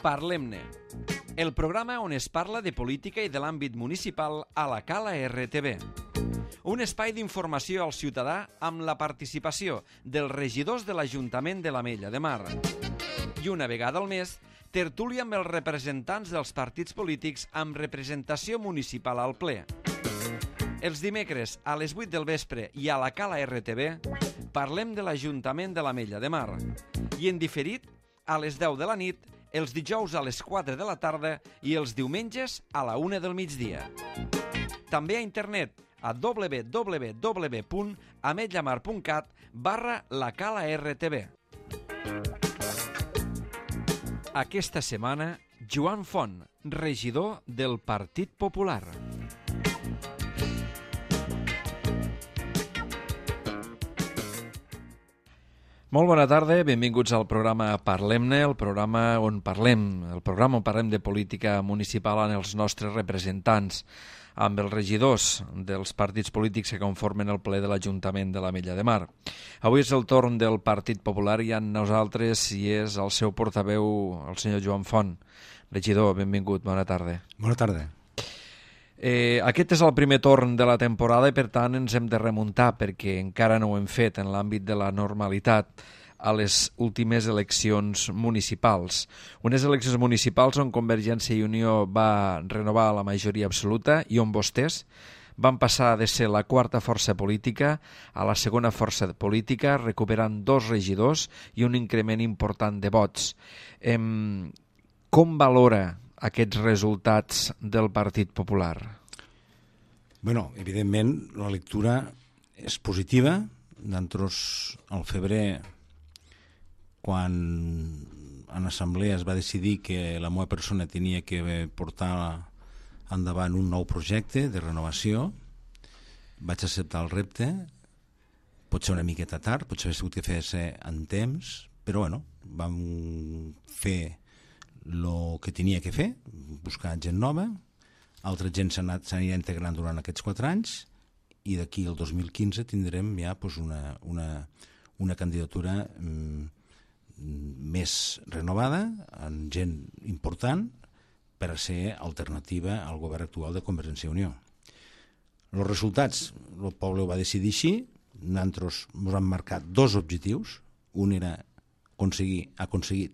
Parlem-ne, el programa on es parla de política i de l'àmbit municipal a la Cala RTV. Un espai d'informació al ciutadà amb la participació dels regidors de l'Ajuntament de l'Ametlla de Mar. I una vegada al mes, tertúlia amb els representants dels partits polítics amb representació municipal al ple. Els dimecres a les 8 del vespre i a la Cala RTV parlem de l'Ajuntament de l'Ametlla de Mar. I en diferit, a les 10 de la nit, els dijous a les 4 de la tarda i els diumenges a la 1 del migdia. També a internet a www.ametllamar.cat/lacala-rtv. Aquesta setmana, Joan Font, regidor del Partit Popular. Molt bona tarda, benvinguts al programa Parlem-ne, el programa on parlem de política municipal amb els nostres representants, amb els regidors dels partits polítics que conformen el ple de l'Ajuntament de l'Ametlla de Mar. Avui és el torn del Partit Popular i amb nosaltres hi és el seu portaveu, el senyor Joan Font. Regidor, benvingut, bona tarda. Bona tarda. Aquest és el primer torn de la temporada i per tant ens hem de remuntar, perquè encara no ho hem fet en l'àmbit de la normalitat, a les últimes eleccions municipals. Unes eleccions municipals on Convergència i Unió va renovar la majoria absoluta i on vostès van passar de ser la quarta força política a la segona força política, recuperant 2 regidors i un increment important de vots. Com valora aquests resultats del Partit Popular? Bueno, evidentment, la lectura és positiva. Nosaltres, al febrer, quan en assemblea es va decidir que la meva persona tenia que portar endavant un nou projecte de renovació, vaig acceptar el repte. Pot ser una miqueta tard, potser hauria hagut que fer-se en temps, però bueno, vam fer el que tenia que fer, buscar gent nova, altra gent s'anirà integrant durant aquests 4 anys i d'aquí al 2015 tindrem ja una candidatura més renovada, amb gent important per a ser alternativa al govern actual de Convergència i Unió. Els resultats, el poble ho va decidir així, nosaltres ens vam marcar 2 objectius, un era aconseguir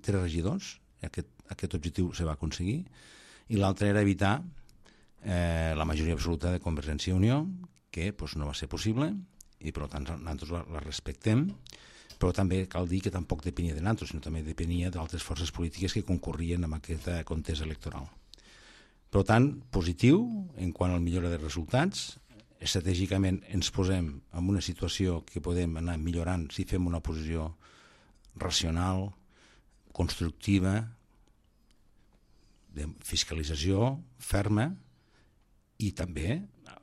3 regidors, aquest objectiu se va aconseguir, i l'altre era evitar la majoria absoluta de Convergència i Unió, que no va ser possible, i per tant nosaltres la respectem, però també cal dir que tampoc depenia de nosaltres, sinó també depenia d'altres forces polítiques que concorrien en aquesta contesa electoral. Per tant, positiu en quant al millora de resultats. Estratègicament ens posem en una situació que podem anar millorant si fem una posició racional, constructiva, de fiscalització ferma i també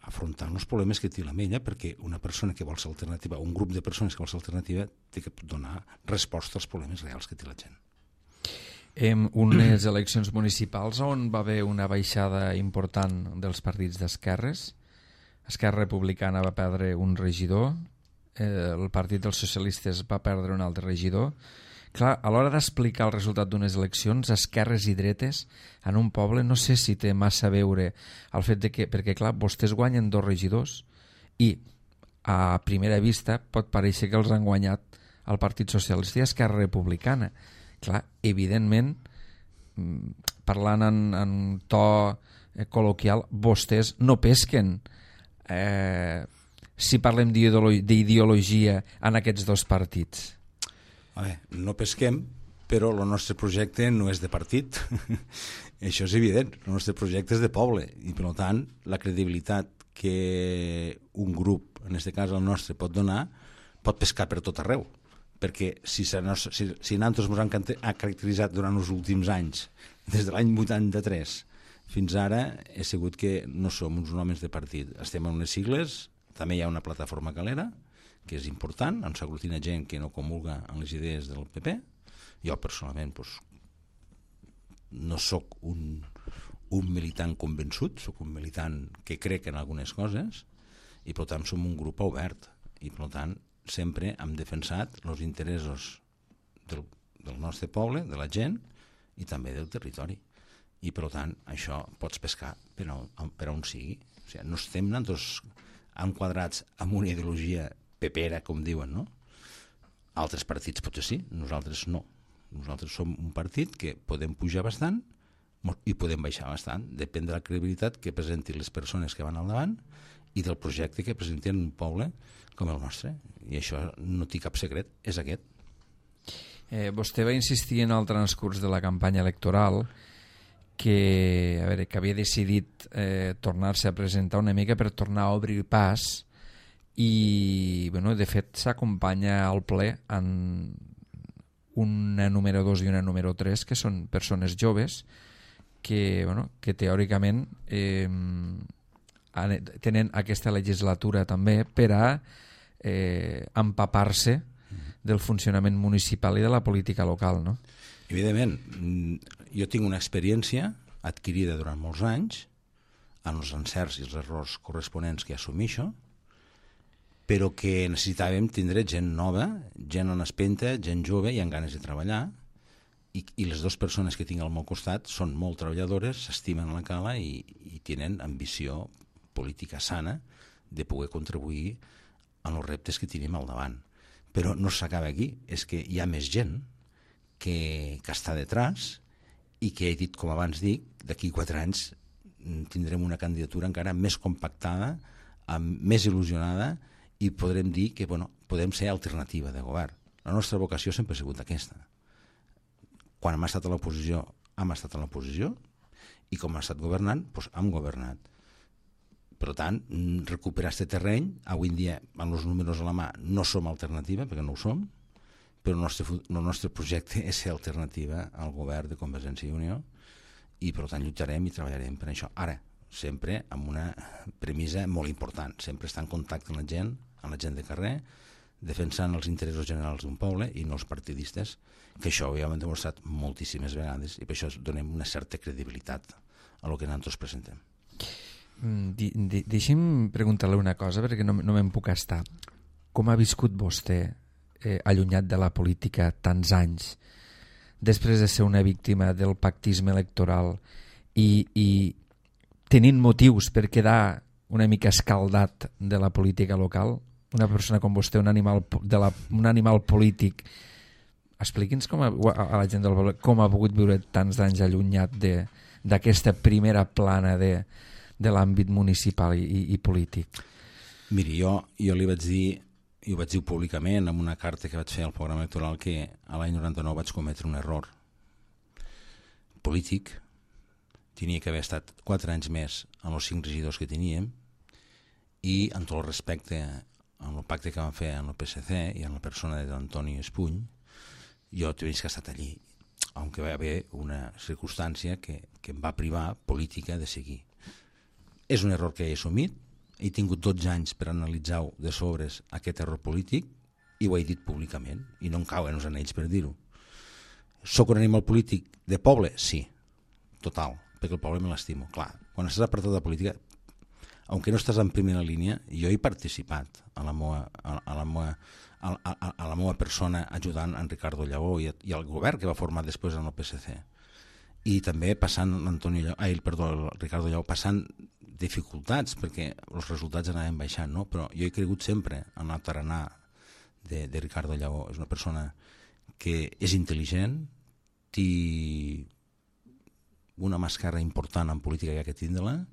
afrontant els problemes que té l'Ametlla, perquè una persona que vol ser alternativa, un grup de persones que vol ser alternativa, té que donar resposta als problemes reals que té la gent. Unes eleccions municipals on va haver una baixada important dels partits d'esquerres. Esquerra Republicana va perdre un regidor, el Partit dels Socialistes va perdre un altre regidor. Clar, a l'hora d'explicar el resultat d'unes eleccions, esquerres i dretes, en un poble, no sé si té massa a veure el fet de que, perquè clar, vostès guanyen 2 regidors i a primera vista pot parèixer que els han guanyat el Partit Socialista i Esquerra Republicana. Clar, evidentment, parlant en to col·loquial, vostès no pesquen si parlem d'ideologia en aquests 2 partits. No pesquem, però el nostre projecte no és de partit. Això és evident. El nostre projecte és de poble i, per tant, la credibilitat que un grup, en aquest cas el nostre, pot donar, pot pescar per tot arreu. Perquè si nosaltres ens han caracteritzat durant els últims anys, des de l'any 83 fins ara, he sigut que no som uns homes de partit. Estem en unes sigles, també hi ha una plataforma calera, que és important, on s'aglutina gent que no comulga en les idees del PP. Jo personalment no sóc un militant convençut, sóc un militant que crec en algunes coses i per tant som un grup obert i per tant sempre hem defensat els interessos del nostre poble, de la gent, i també del territori. I per tant això pots pescar per on sigui. O sigui, no estem nosaltres enquadrats amb una ideologia pepera, com diuen, no? Altres partits potser sí, nosaltres no. Nosaltres som un partit que podem pujar bastant i podem baixar bastant. Depèn de la credibilitat que presentin les persones que van al davant i del projecte que presenten un poble com el nostre. I això no té cap secret, és aquest. Vostè va insistir en el transcurs de la campanya electoral que havia decidit tornar-se a presentar una mica per tornar a obrir pas i de fet s'acompanya al ple en una número 2 i una número 3 que són persones joves que teòricament tenen aquesta legislatura també per a empapar-se del funcionament municipal i de la política local, no? Evidentment, jo tinc una experiència adquirida durant molts anys en els encerts i els errors corresponents que assumeixo, però que necessitàvem tindre gent nova, gent en espenta, gent jove i amb ganes de treballar, i les dues persones que tinc al meu costat són molt treballadores, s'estimen a la cala i tenen ambició política sana de poder contribuir en els reptes que tenim al davant. Però no s'acaba aquí, és que hi ha més gent que està detrás i que he dit, com abans dic, d'aquí 4 anys tindrem una candidatura encara més compactada, més il·lusionada i podrem dir que podem ser alternativa de govern. La nostra vocació sempre ha sigut aquesta. Quan hem estat a l'oposició, hem estat a l'oposició i com hem estat governant, doncs hem governat. Per tant, recuperar aquest terreny, avui en dia, amb els números a la mà, no som alternativa, perquè no ho som, però el nostre projecte és ser alternativa al govern de Convergència i Unió i per tant lluitarem i treballarem per això. Ara, sempre amb una premissa molt important, sempre estar en contacte amb la gent de carrer, defensant els interessos generals d'un poble i no els partidistes, que això ho hem demostrat moltíssimes vegades i per això donem una certa credibilitat a el que nosaltres presentem. Deixi'm preguntar-li una cosa perquè no me'n puc estar. Com ha viscut vostè allunyat de la política tants anys després de ser una víctima del pactisme electoral i tenint motius per quedar una mica escaldat de la política local? Una persona com vostè, un animal polític, expliqui'ns a la gent del poble com ha pogut viure tants anys allunyat d'aquesta primera plana de l'àmbit municipal i polític. Miri, jo li vaig dir, i ho vaig dir públicament en una carta que vaig fer al programa electoral, que a l'any 99 vaig cometre un error polític. Tenia que haver estat 4 anys més en els 5 regidors que teníem i en tot el respecte amb el pacte que vam fer amb el PSC i amb la persona d'Antoni Espuny, jo tenia que estar allí, aunque va haver una circumstància que em va privar política de seguir. És un error que he assumit, he tingut 12 anys per analitzar-ho de sobres aquest error polític i ho he dit públicament i no em cauen els anells per dir-ho. Soc un animal polític de poble? Sí, total, perquè el poble me l'estimo. Clar, quan estàs apartat de política, aunque no estàs en primera línia, jo he participat a la meva persona ajudant en Ricardo Lleó i al govern que va formar després en el PSC. I també passant el Ricardo Lleó passant dificultats perquè els resultats anaven baixant, no? Però jo he cregut sempre en el tarannà de Ricardo Lleó. És una persona que és intel·ligent, té una màscara important en política que ha que tindre-la,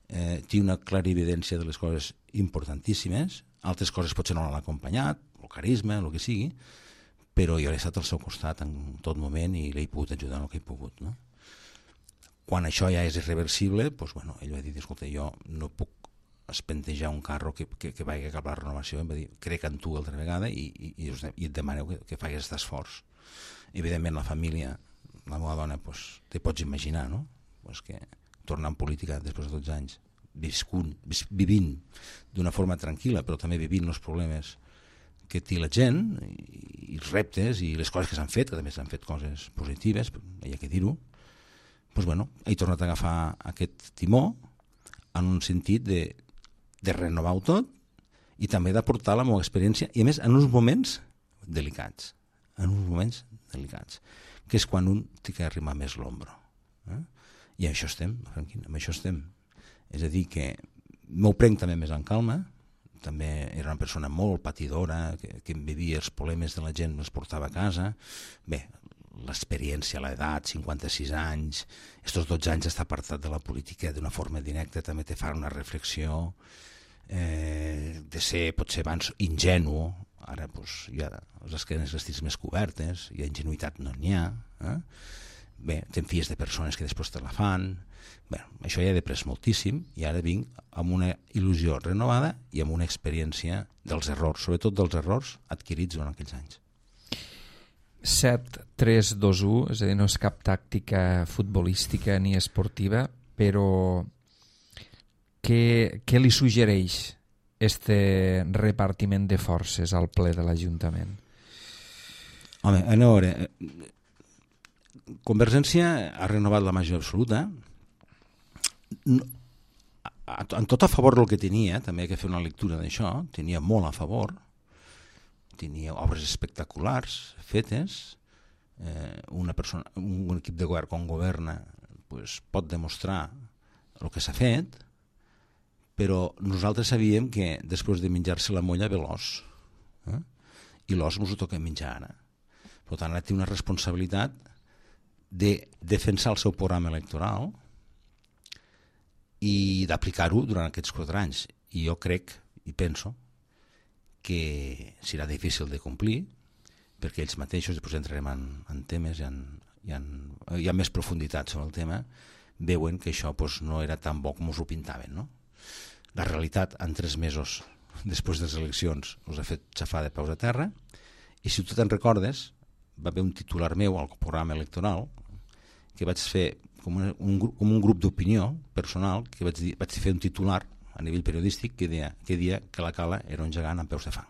té una clarividència de les coses importantíssimes, altres coses potser no l'han acompanyat, el carisma, el que sigui, però jo he estat al seu costat en tot moment i l'he pogut ajudar en el que he pogut, no? Quan això ja és irreversible, doncs, bueno, ell va dir, escolta, jo no puc espentejar un carro que vagi cap a la renovació, em va dir, crec en tu altra vegada i et demaneu que facis aquest esforç. Evidentment la família, la meva dona, doncs, te pots imaginar, no? Pues que tornar en política després de 12 anys, vivint d'una forma tranquil·la, però també vivint els problemes que té la gent, i els reptes i les coses que s'han fet, que també s'han fet coses positives, hi ha que dir-ho, doncs, bueno, he tornat a agafar aquest timó en un sentit de renovar-ho tot i també d'aportar la meva experiència, i a més en uns moments delicats, en uns moments delicats, que és quan un té que arrimar més l'ombro. I això estem, Franquín, amb això estem. És a dir, que m'ho prenc també més en calma, també era una persona molt patidora, que em vivia els problemes de la gent, els portava a casa. Bé, l'experiència, l'edat, 56 anys, estos 12 anys d'estar apartat de la política d'una forma directa també te fa una reflexió de ser, potser abans, ingenu. Ara doncs, hi ha les esquenes vestits més cobertes, hi ha ingenuïtat, no n'hi ha. Bé, te'n fies de persones que després te la fan. Bé, això ja he després moltíssim i ara vinc amb una il·lusió renovada i amb una experiència dels errors, sobretot dels errors adquirits durant aquells anys. 7-3-2-1, és a dir, no és cap tàctica futbolística ni esportiva, però què li suggereix este repartiment de forces al ple de l'Ajuntament? Home, a veure, Convergència ha renovat la majoria absoluta, en tot a favor del que tenia, també hay que fer una lectura d'això, tenia molt a favor, tenia obres espectaculars fetes, un equip de govern quan governa pues, pot demostrar el que s'ha fet, però nosaltres sabíem que després de menjar-se la molla ve l'os, i l'os ens ho toca menjar ara. Per tant, ara té una responsabilitat de defensar el seu programa electoral i d'aplicar-ho durant aquests 4 anys. I jo crec i penso que serà difícil de complir, perquè ells mateixos, després entrarem en temes, hi ha més profunditat sobre el tema, veuen que això doncs, no era tan bo com us ho pintaven. No? La realitat, en 3 mesos després de les eleccions, us ha fet xafar de peus a terra, i si tu te'n recordes, va haver un titular meu al programa electoral que vaig fer com un grup d'opinió personal, que vaig fer un titular a nivell periodístic que deia que la Cala era un gegant amb peus de fang.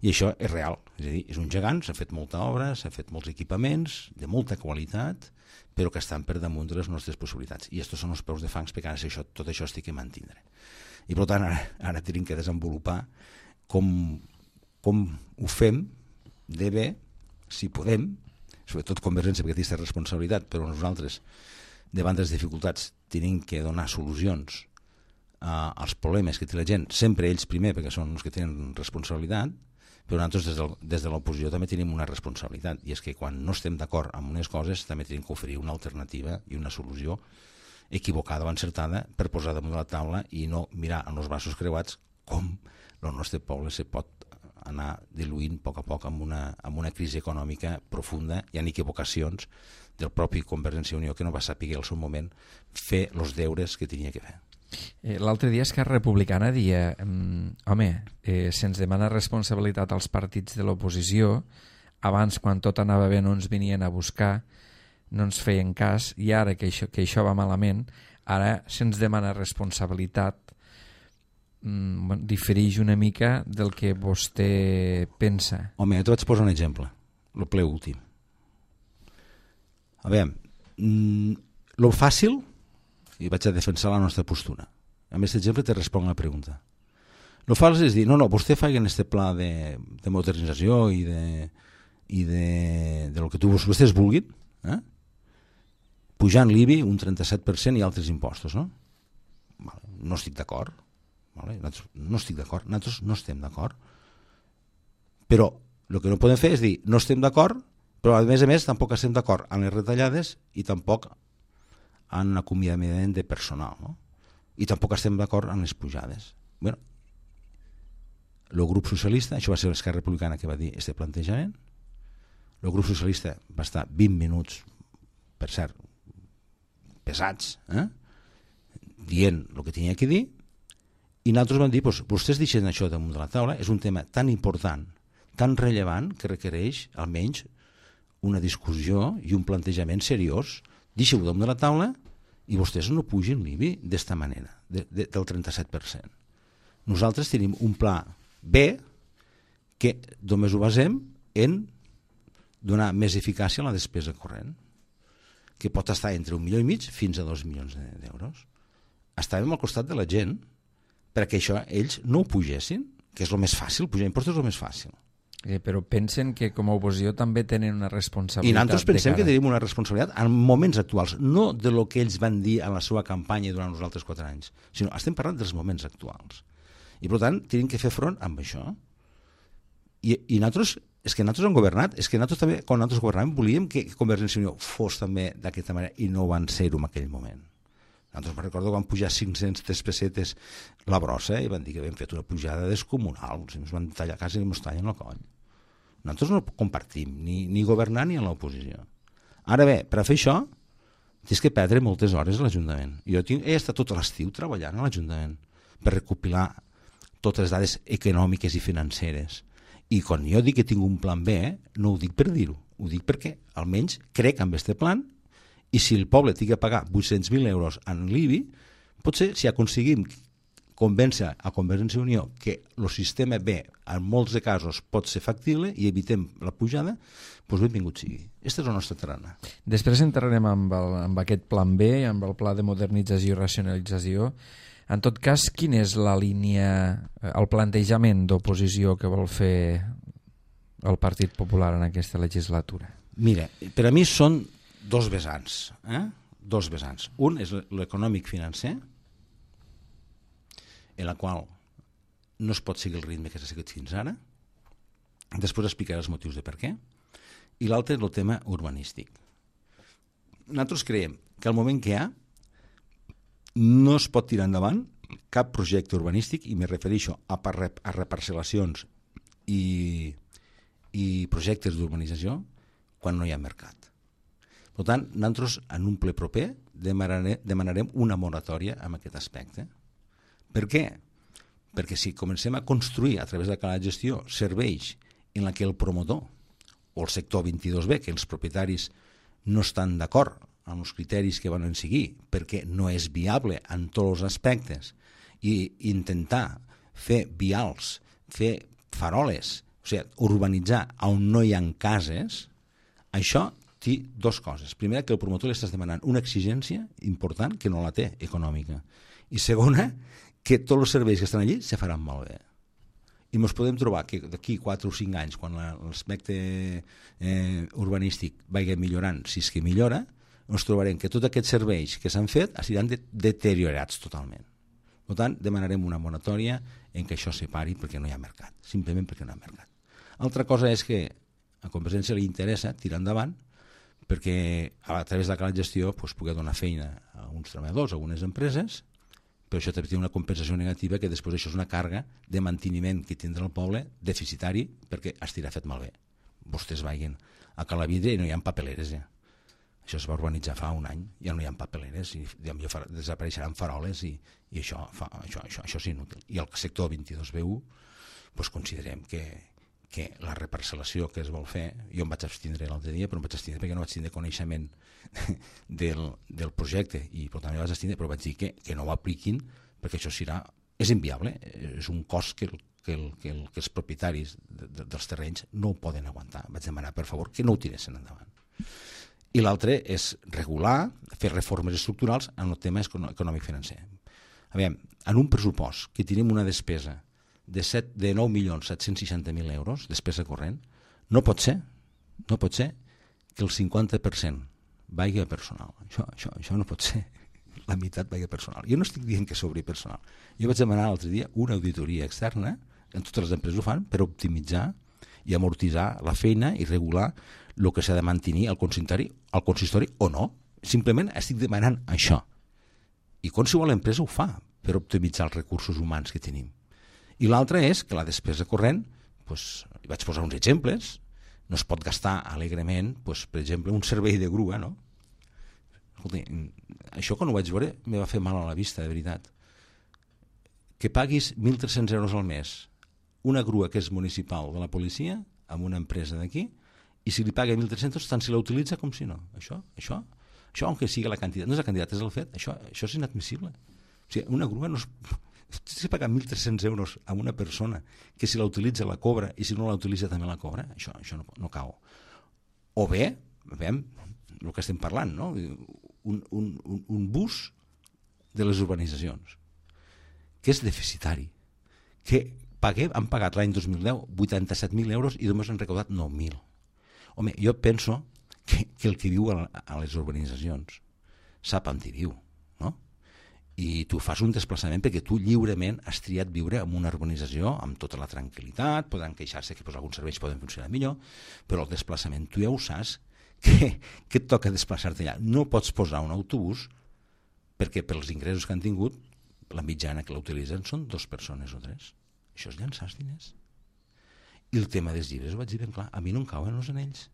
I això és real, és a dir, és un gegant, s'ha fet molta obra, s'ha fet molts equipaments de molta qualitat, però que estan per damunt de les nostres possibilitats. I estos són els peus de fangs, perquè ara tot això estic a mantindre. I per tant, ara tenim que desenvolupar com ho fem de bé, si podem, sobretot Convergència, perquè té aquesta responsabilitat, però nosaltres, davant de les dificultats, tenim que donar solucions als problemes que té la gent, sempre ells primer, perquè són els que tenen responsabilitat, però nosaltres des de l'oposició també tenim una responsabilitat, i és que quan no estem d'acord amb unes coses també tenim que oferir una alternativa i una solució equivocada o encertada per posar damunt de la taula i no mirar amb els braços creuats com el nostre poble se pot anar diluint a poc amb una crisi econòmica profunda. Hi ha equivocacions del propi Convergència i Unió que no va saber al seu moment fer els deures que tenia que fer. L'altre dia Esquerra Republicana deia se'ns demana responsabilitat als partits de l'oposició, abans quan tot anava bé no ens venien a buscar, no ens feien cas, i ara que això va malament, ara se'ns demana responsabilitat. Difereix una mica del que vostè pensa. Home, jo te vaig posar un exemple, el ple últim. A veure, lo fàcil, i vaig a defensar la nostra postura. Amb aquest exemple te responc la pregunta. Lo fàcil és dir, no, vostè faci este pla de modernització i de lo que vostès vulguin, pujant l'IBI un 37% i altres impostos, no? No estic d'acord. No estic d'acord, nosaltres no estem d'acord, però el que no podem fer és dir no estem d'acord, però a més tampoc estem d'acord amb les retallades i tampoc en l'acomiadament de personal, no? I tampoc estem d'acord amb les pujades. Bueno, el grup socialista, això va ser l'Esquerra Republicana que va dir este plantejament, el grup socialista va estar 20 minuts, per cert, pesats, dient el que tenia que dir, i nosaltres vam dir, vostès deixen això damunt de la taula, és un tema tan important, tan rellevant, que requereix almenys una discussió i un plantejament seriós. Deixeu-ho damunt de la taula i vostès no pugin l'IBI d'esta manera, del 37%. Nosaltres tenim un pla B que només ho basem en donar més eficàcia a la despesa corrent, que pot estar entre 1,5 milions fins a 2 milions d'euros. Estàvem al costat de la gent perquè això ells no ho pugessin, que és el més fàcil, pujar impostos és el més fàcil. Però pensen que com a oposició també tenen una responsabilitat. I nosaltres pensem que tenim una responsabilitat en moments actuals, no de lo que ells van dir en la seva campanya durant els altres 4 anys, sinó estem parlant dels moments actuals. I per tant, tenim que fer front amb això. I nosaltres, és que nosaltres hem governat, és que nosaltres també, quan nosaltres governàvem, volíem que Convergència i Unió fos també d'aquesta manera i no van ser-ho en aquell moment. Nosaltres me recordo quan pujar 503 pessetes la brossa i van dir que havien fet una pujada descomunal, ens van tallar quasi i ens tallen el coll. Nosaltres no compartim ni governar ni a l'oposició. Ara bé, per a fer això tens que perdre moltes hores a l'Ajuntament. Jo he estat tot l'estiu treballant a l'Ajuntament per recopilar totes les dades econòmiques i financeres. I quan jo dic que tinc un plan B, no ho dic per dir-ho, ho dic perquè almenys crec en aquest plan. I si el poble té que pagar 800.000 euros en l'IBI, potser si aconseguim convèncer a Convergència i Unió que el sistema B en molts de casos pot ser factible i evitem la pujada, doncs benvingut sigui. Aquesta és la nostra terrana. Després entrarem amb aquest plan B, amb el pla de modernització i racionalització. En tot cas, quina és la línia, el plantejament d'oposició que vol fer el Partit Popular en aquesta legislatura? Mira, per a mi són dos vessants. Dos vessants. Un és l'econòmic financer, en la qual no es pot seguir el ritme que s'ha seguit fins ara. Després explicaré els motius de per què. I l'altre és el tema urbanístic. Nosaltres creiem que al moment que hi ha no es pot tirar endavant cap projecte urbanístic, i me refereixo a reparcel·lacions i projectes d'urbanització quan no hi ha mercat. Per tant, nosaltres en un ple proper demanarem una moratòria en aquest aspecte. Per què? Perquè si comencem a construir a través de cada gestió serveis en la que el promotor o el sector 22B, que els propietaris no estan d'acord amb els criteris que van seguir perquè no és viable en tots els aspectes, i intentar fer vials, fer faroles, o sigui, urbanitzar on no hi ha cases, això té dues coses. Primera, que el promotor li estàs demanant una exigència important que no la té, econòmica. I segona, que tots els serveis que estan allí se faran malbé. I ens podem trobar que d'aquí 4 o 5 anys, quan l'aspecte urbanístic vagi millorant, si és que millora, ens trobarem que tots aquests serveis que s'han fet seran deteriorats totalment. Per tant, demanarem una moratòria en què això se pari perquè no hi ha mercat, simplement perquè no hi ha mercat. Altra cosa és que a Convergència li interessa tirar endavant perquè a través de la gestió pugui donar feina a uns treballadors, a algunes empreses, però això té una compensació negativa que després això és una càrrega de manteniment que tindrà el poble deficitari perquè estirà fet malbé. Vostès vagin a Calavidre i no hi ha papeleres. Això es va urbanitzar fa un any, ja no hi ha papeleres i desapareixeran faroles i això és inútil. I el sector 22B1 considerem que la reparcel·lació que es vol fer, jo em vaig abstindre l'altre dia, però em vaig abstindre perquè no vaig tindre coneixement del projecte i per tant vaig abstindre, però vaig dir que no ho apliquin perquè això és inviable, és un cost que els propietaris dels terrenys no ho poden aguantar. Vaig demanar per favor que no ho tiressin endavant. I l'altre és regular, fer reformes estructurals en el tema econòmic financer. Aviam, en un pressupost que tenim una despesa de 9.760.000 euros, despesa corrent, no pot ser que el 50% vagi a personal. Això no pot ser. La meitat vagi a personal. Jo no estic dient que sobri personal. Jo vaig demanar l'altre dia una auditoria externa, en totes les empreses ho fan, per optimitzar i amortitzar la feina i regular el que s'ha de mantenir al consistori o no. Simplement estic demanant això. I qualsevol empresa ho fa per optimitzar els recursos humans que tenim. I l'altre és que la despesa corrent, vaig posar uns exemples, no es pot gastar alegrement, per exemple, un servei de grua, no? Escolta, això quan ho vaig veure me va fer mal a la vista, de veritat. Que paguis 1.300 euros al mes una grua que és municipal de la policia amb una empresa d'aquí, i si li paga 1.300 tant si la utilitza com si no. Això, aunque sigui la quantitat, no és la quantitat, és el fet, això és inadmissible. O sigui, una grua no es... Si paga 1.300 euros a una persona que si la utilitza la cobra i si no la utilitza també la cobra, això no cau. O bé, veiem el que estem parlant, no? Un bus de les urbanitzacions que és deficitari, que han pagat l'any 2010 87.000 euros i només han recaudat 9.000. Home, jo penso que el que viu a les urbanitzacions sap on hi viu, no? I tu fas un desplaçament perquè tu lliurement has triat viure en una urbanització amb tota la tranquil·litat, poden queixar-se que alguns serveis poden funcionar millor, però el desplaçament tu ja ho saps que et toca desplaçar-te allà. No pots posar un autobús perquè pels ingressos que han tingut la mitjana que l'utilitzen són 2 persones o 3. Això és llançar els diners. I el tema dels llibres ho vaig dir ben clar, a mi no em cauen els anells.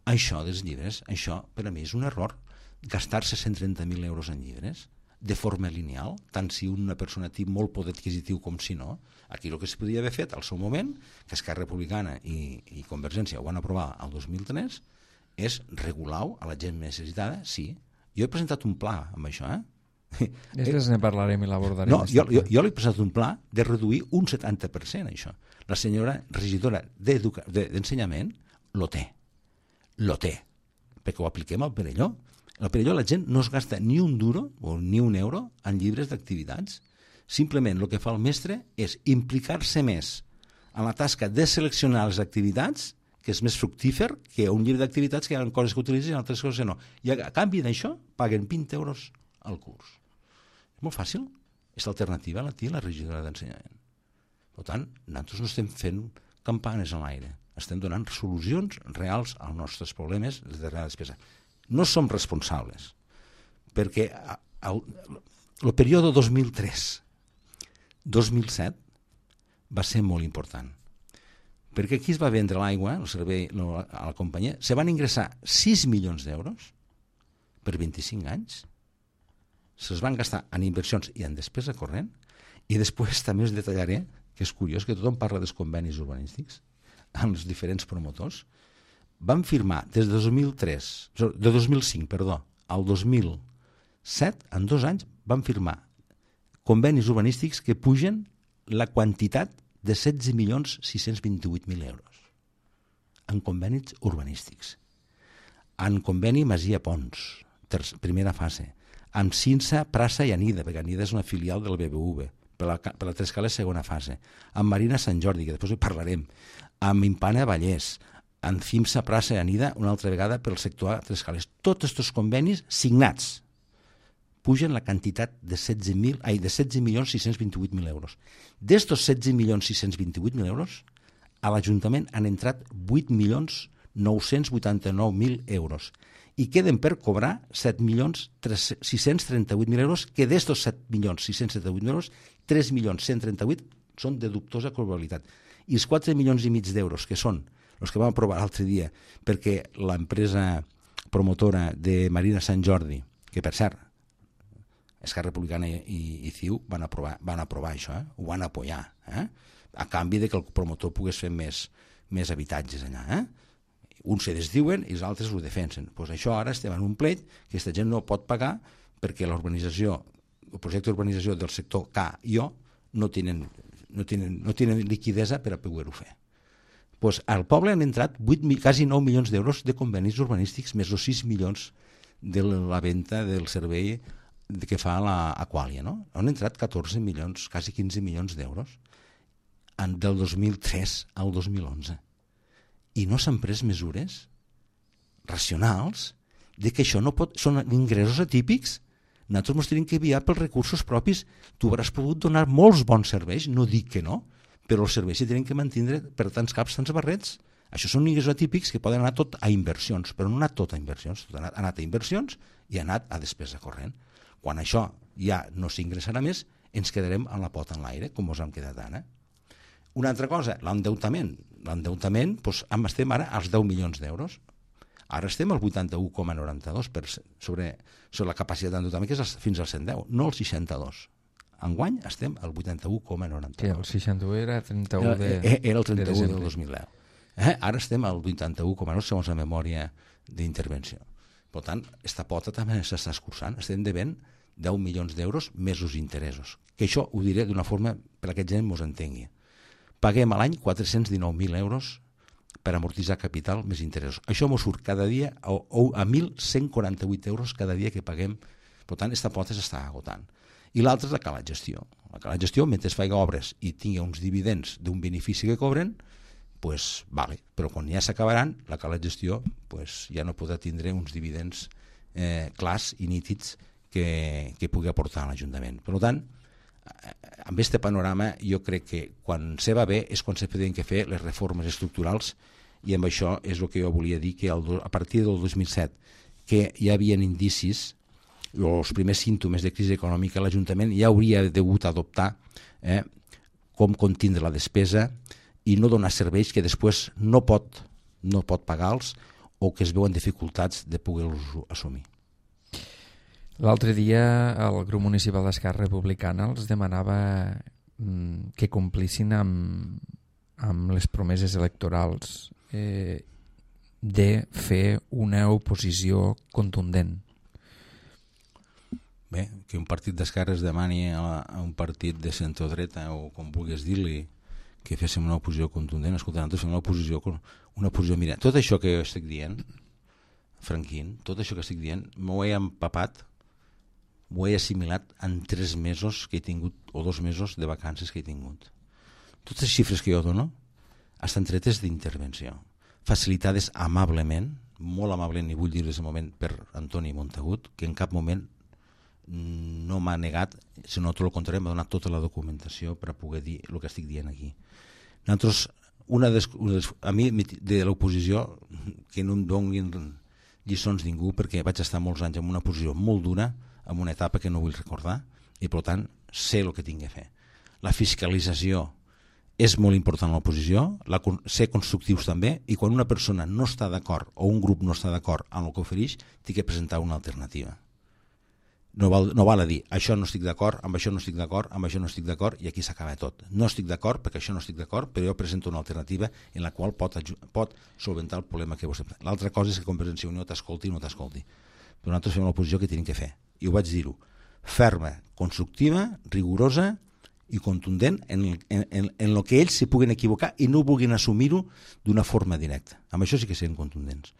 Això dels llibres, això per a mi és un error. Gastar-se 130.000 euros en llibres de forma lineal, tant si una persona té molt poder adquisitiu com si no. Aquí el que es podia haver fet al seu moment, que Esquerra Republicana i Convergència ho van aprovar el 2003, és regular-ho a la gent necessitada, sí. Jo he presentat un pla amb això, Després ne parlarem i l'abordarem. No, jo li he presentat un pla de reduir un 70% això. La senyora regidora d'Ensenyament lo té, perquè ho apliquem al Perelló. Al Perelló la gent no es gasta ni un duro o ni un euro en llibres d'activitats. Simplement el que fa el mestre és implicar-se més en la tasca de seleccionar les activitats, que és més fructífer que un llibre d'activitats que hi ha coses que utilitzen i altres coses que no. I a canvi d'això paguen 20 euros al curs. És molt fàcil. És l'alternativa a la regidora d'Ensenyament. Per tant, nosaltres no estem fent campanes a l'aire. Estem donant solucions reals als nostres problemes de la despesa. No som responsables, perquè el període 2003-2007 va ser molt important, perquè aquí es va vendre l'aigua, el servei a la companyia, se van ingressar 6 milions d'euros per 25 anys, se'ls van gastar en inversions i en despesa corrent, i després també us detallaré, que és curiós, que tothom parla dels convenis urbanístics amb els diferents promotors. Van firmar de 2005 al 2007, en 2 anys, van firmar convenis urbanístics que pugen la quantitat de 16.628.000 euros en convenis urbanístics. En conveni Masia Pons, primera fase, amb Cinsa, Prassa i Anida, perquè Anida és una filial del BBV, per la Trescales segona fase, amb Marina Sant Jordi, que després hi parlarem, amb Impana Vallès, amb Cimsa, Prassa i Anida, una altra vegada pel sector A, Trescales. Tots aquests convenis signats pugen la quantitat de 16.628.000 euros. D'estos 16.628.000 euros, a l'Ajuntament han entrat 8.989.000 euros i queden per cobrar 7.638.000 euros, que d'estos 7.638.000 euros, 3.138.000 són de dubtosa probabilitat. I els 4 milions i mig d'euros, que són els que vam aprovar l'altre dia, perquè l'empresa promotora de Marina Sant Jordi, que per cert, Esquerra Republicana i CiU van aprovar això, ho van apoyar, a canvi de que el promotor pogués fer més habitatges allà. Uns se desdiuen i els altres ho defensen. Pues això ara estem en un pleit que aquesta gent no pot pagar perquè l'urbanització, el projecte d'urbanització del sector K i O no tenen liquidesa per a poder-ho fer. Pues al poble han entrat quasi 9 milions d'euros de convenis urbanístics més els 6 milions de la venda del servei que fa l'Aquàlia, no? Han entrat 14 milions, quasi 15 milions d'euros del 2003 al 2011. I no s'han pres mesures racionals de que això no pot... Són ingressos atípics. Nosaltres ens tenim que guiar pels recursos propis. Tu hauràs pogut donar molts bons serveis, no dic que no, però els serveis s'hi tenen que mantenir per tants caps, tants barrets. Això són ingressos atípics que poden anar tot a inversions, però no ha anat tot a inversions. Ha anat a inversions i ha anat a despesa corrent. Quan això ja no s'ingressarà més, ens quedarem amb la pota en l'aire, com ens hem quedat ara. Una altra cosa, l'endeutament. L'endeutament, doncs, estem ara als 10 milions d'euros. Ara estem al 81,92 sobre la capacitat d'endeutament, que és fins al 110, no al 62. Enguany estem al 81,92. Que el 61 era 31 era el 31 del 2010. Ara estem al 81,9 segons la memòria d'intervenció. Per tant, aquesta pota també s'està escurçant. Estem devent 10 milions d'euros més els interessos. Que això ho diré d'una forma per a que gent ens entengui. Paguem a l'any 419.000 euros per amortitzar capital més interessos. Això ens surt cada dia a 1.148 euros cada dia que paguem. Per tant, aquesta pota s'està agotant. I l'altra és la cala gestió. La cala gestió, mentre es faci obres i tingui uns dividends d'un benefici que cobren, pues, vale. Però quan ja s'acabaran, la cala gestió pues, ja no podrà tindre uns dividends clars i nítids que pugui aportar a l'Ajuntament. Per tant, amb aquest panorama jo crec que quan se va bé és quan se poden fer les reformes estructurals, i amb això és el que jo volia dir, que a partir del 2007 que hi havia indicis o els primers símptomes de crisi econòmica, l'Ajuntament ja hauria degut adoptar com contindre la despesa i no donar serveis que després no pot pagar-los o que es veuen dificultats de poder-los assumir. L'altre dia el grup municipal d'Esquerra Republicana els demanava que complissin amb les promeses electorals de fer una oposició contundent. Bé, que un partit d'esquerres demani a un partit de centrodreta o com vulguis dir-li que féssim una oposició contundent. Escolta, nosaltres fem una oposició, mira, tot això que estic dient, Franquín, tot això que estic dient, m'ho he empapat, m'ho he assimilat en 3 mesos que he tingut, o 2 mesos de vacances que he tingut. Totes les xifres que jo dono estan tretes d'intervenció, facilitades amablement, molt amablement, i vull dir-les en moment, per Antoni Montagut, que en cap moment no m'ha negat, sinó tot el contrari, m'ha donat tota la documentació per a poder dir el que estic dient aquí. Nosaltres, a mi de l'oposició, que no em donin lliçons ningú, perquè vaig estar molts anys en una posició molt dura, en una etapa que no vull recordar, i per tant sé el que tinc que fer. La fiscalització és molt important a l'oposició, ser constructius també, i quan una persona no està d'acord o un grup no està d'acord amb el que ofereix, té que presentar una alternativa. No val a dir, això no estic d'acord, amb això no estic d'acord, amb això no estic d'acord, i aquí s'acaba tot. No estic d'acord perquè això no estic d'acord, però jo presento una alternativa en la qual pot solventar el problema que vostè... L'altra cosa és que Convergència i Unió t'escolti o no t'escolti. Però nosaltres fem l'oposició que tenim que fer, i ho vaig dir-ho, ferma, constructiva, rigorosa i contundent en el que ells s'hi puguen equivocar i no vulguin assumir-ho d'una forma directa. Amb això sí que siguin contundents.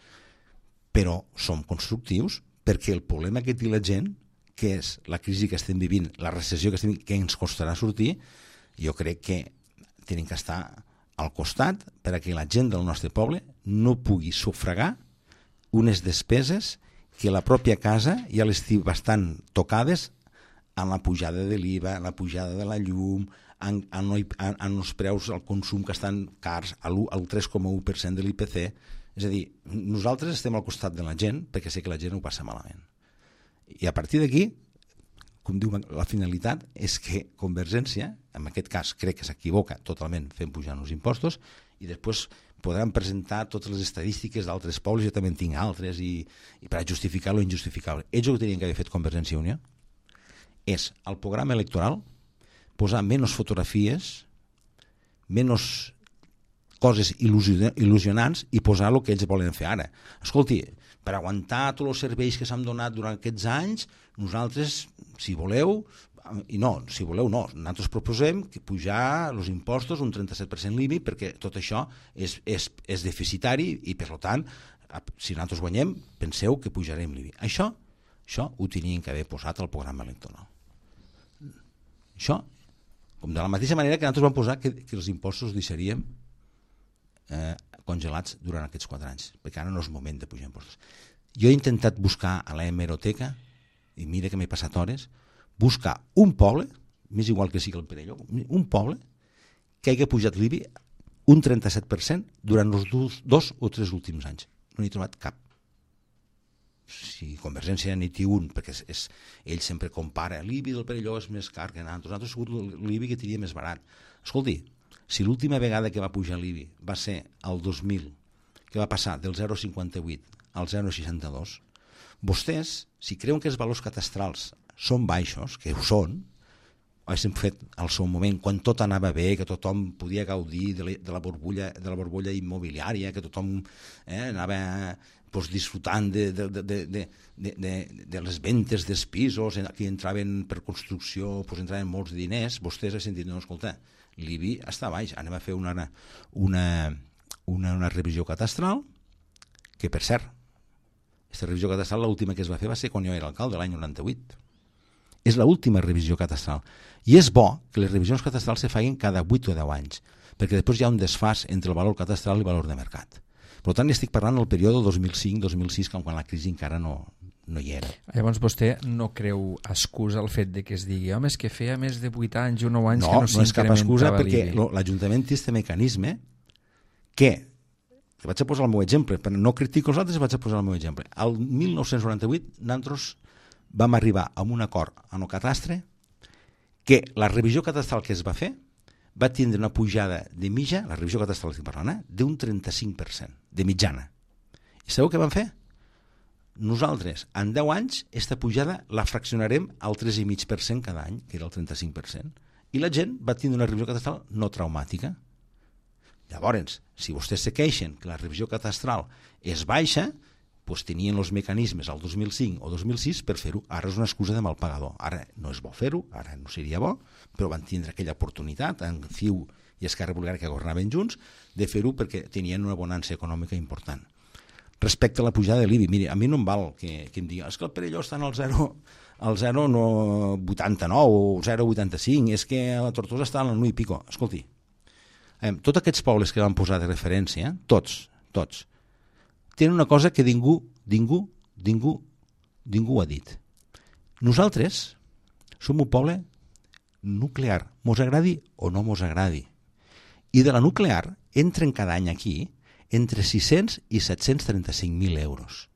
Però som constructius perquè el problema que té la gent, que és la crisi que estem vivint, la recessió que estem vivint, que ens costarà sortir, jo crec que tenim que estar al costat per a que la gent del nostre poble no pugui sufragar unes despeses que la pròpia casa ja les té bastant tocades amb la pujada de l'IVA, la pujada de la llum, en els preus al consum que estan cars, al 3,1% de l'IPC. És a dir, nosaltres estem al costat de la gent perquè sé que la gent ho passa malament. I a partir d'aquí, com diu la finalitat, és que Convergència, en aquest cas crec que s'equivoca totalment fent pujar els impostos, i després podran presentar totes les estadístiques d'altres pobles, jo també en tinc altres, i per a justificar lo injustificable. Ells el que tenien que haver fet Convergència i Unió és al programa electoral posar menys fotografies, menys coses il·lusionants i posar el que ells volen fer ara. Escolti, per aguantar tots els serveis que s'han donat durant aquests anys, nosaltres, si voleu, i no, si voleu no, nosaltres proposem que pujar els impostos un 37% l'IBI perquè tot això és deficitari i per tant, si nosaltres guanyem, penseu que pujarem l'IBI. Això ho tenien que haver posat al programa electoral. Això, com de la mateixa manera que nosaltres vam posar que els impostos deixaríem congelats durant aquests 4 anys, perquè ara no és moment de pujar impostos. Jo he intentat buscar a la hemeroteca, i mira que m'he passat hores, buscar un poble, m'és igual que sigui el Perelló, un poble que hagi pujat l'IBI un 37% durant els 2 o 3 últims anys. No n'he trobat cap. Si Convergència n'hi té un, perquè ell sempre compara, l'IBI del Perelló és més car que nosaltres ha sigut l'IBI que tenia més barat. Escolti, si l'última vegada que va pujar l'IBI va ser el 2000, que va passar del 0,58 al 0,62, vostès, si creuen que els valors catastrals són baixos, que ho són, haguéssim fet al seu moment, quan tot anava bé, que tothom podia gaudir de la borbolla immobiliària, que tothom anava disfrutant de les ventes dels pisos, que entraven per construcció, entraven molts diners, vostès han sentit, no, escolta, l'IBI està baix, anem a fer una revisió catastral, que per cert, aquesta revisió catastral l'última que es va fer va ser quan jo era alcalde, l'any 98, És l'última revisió catastral. I és bo que les revisions catastrals se facin cada 8 o 10 anys, perquè després hi ha un desfàs entre el valor catastral i el valor de mercat. Per tant, estic parlant del període 2005-2006, quan la crisi encara no hi era. Llavors vostè no creu excusa el fet de que es digui home, és que feia més de 8 anys o 9 anys que no és cap excusa, perquè l'IBI. l'Ajuntament té aquest mecanisme que vaig a posar el meu exemple, però no critico els altres, vaig a posar el meu exemple. El 1998 nosaltres vam arribar a un acord en el catastre que la revisió catastral que es va fer va tindre una pujada de mitja, la revisió catastral estic parlant, d'un 35% de mitjana. I sabeu què vam fer? Nosaltres, en 10 anys, aquesta pujada la fraccionarem al 3,5% cada any, que era el 35%, i la gent va tindre una revisió catastral no traumàtica. Llavors, si vostès se queixen que la revisió catastral és baixa, doncs tenien els mecanismes al 2005 o 2006 per fer-ho. Ara és una excusa de mal pagador. Ara no és bo fer-ho, ara no seria bo, però van tindre aquella oportunitat, en CiU i Esquerra Republicana, que governaven junts, de fer-ho perquè tenien una bonança econòmica important. Respecte a la pujada de l'IBI, miri, a mi no em val que em digui és que el Perelló està en el 0,89 o 0,85, és que la Tortosa està en el 1 i pico. Escolti, tots aquests pobles que van posar de referència, tots, tenen una cosa que ningú ha dit. Nosaltres som un poble nuclear, mos agradi o no mos agradi. I de la nuclear entren cada any aquí entre 600 i 735.000 euros.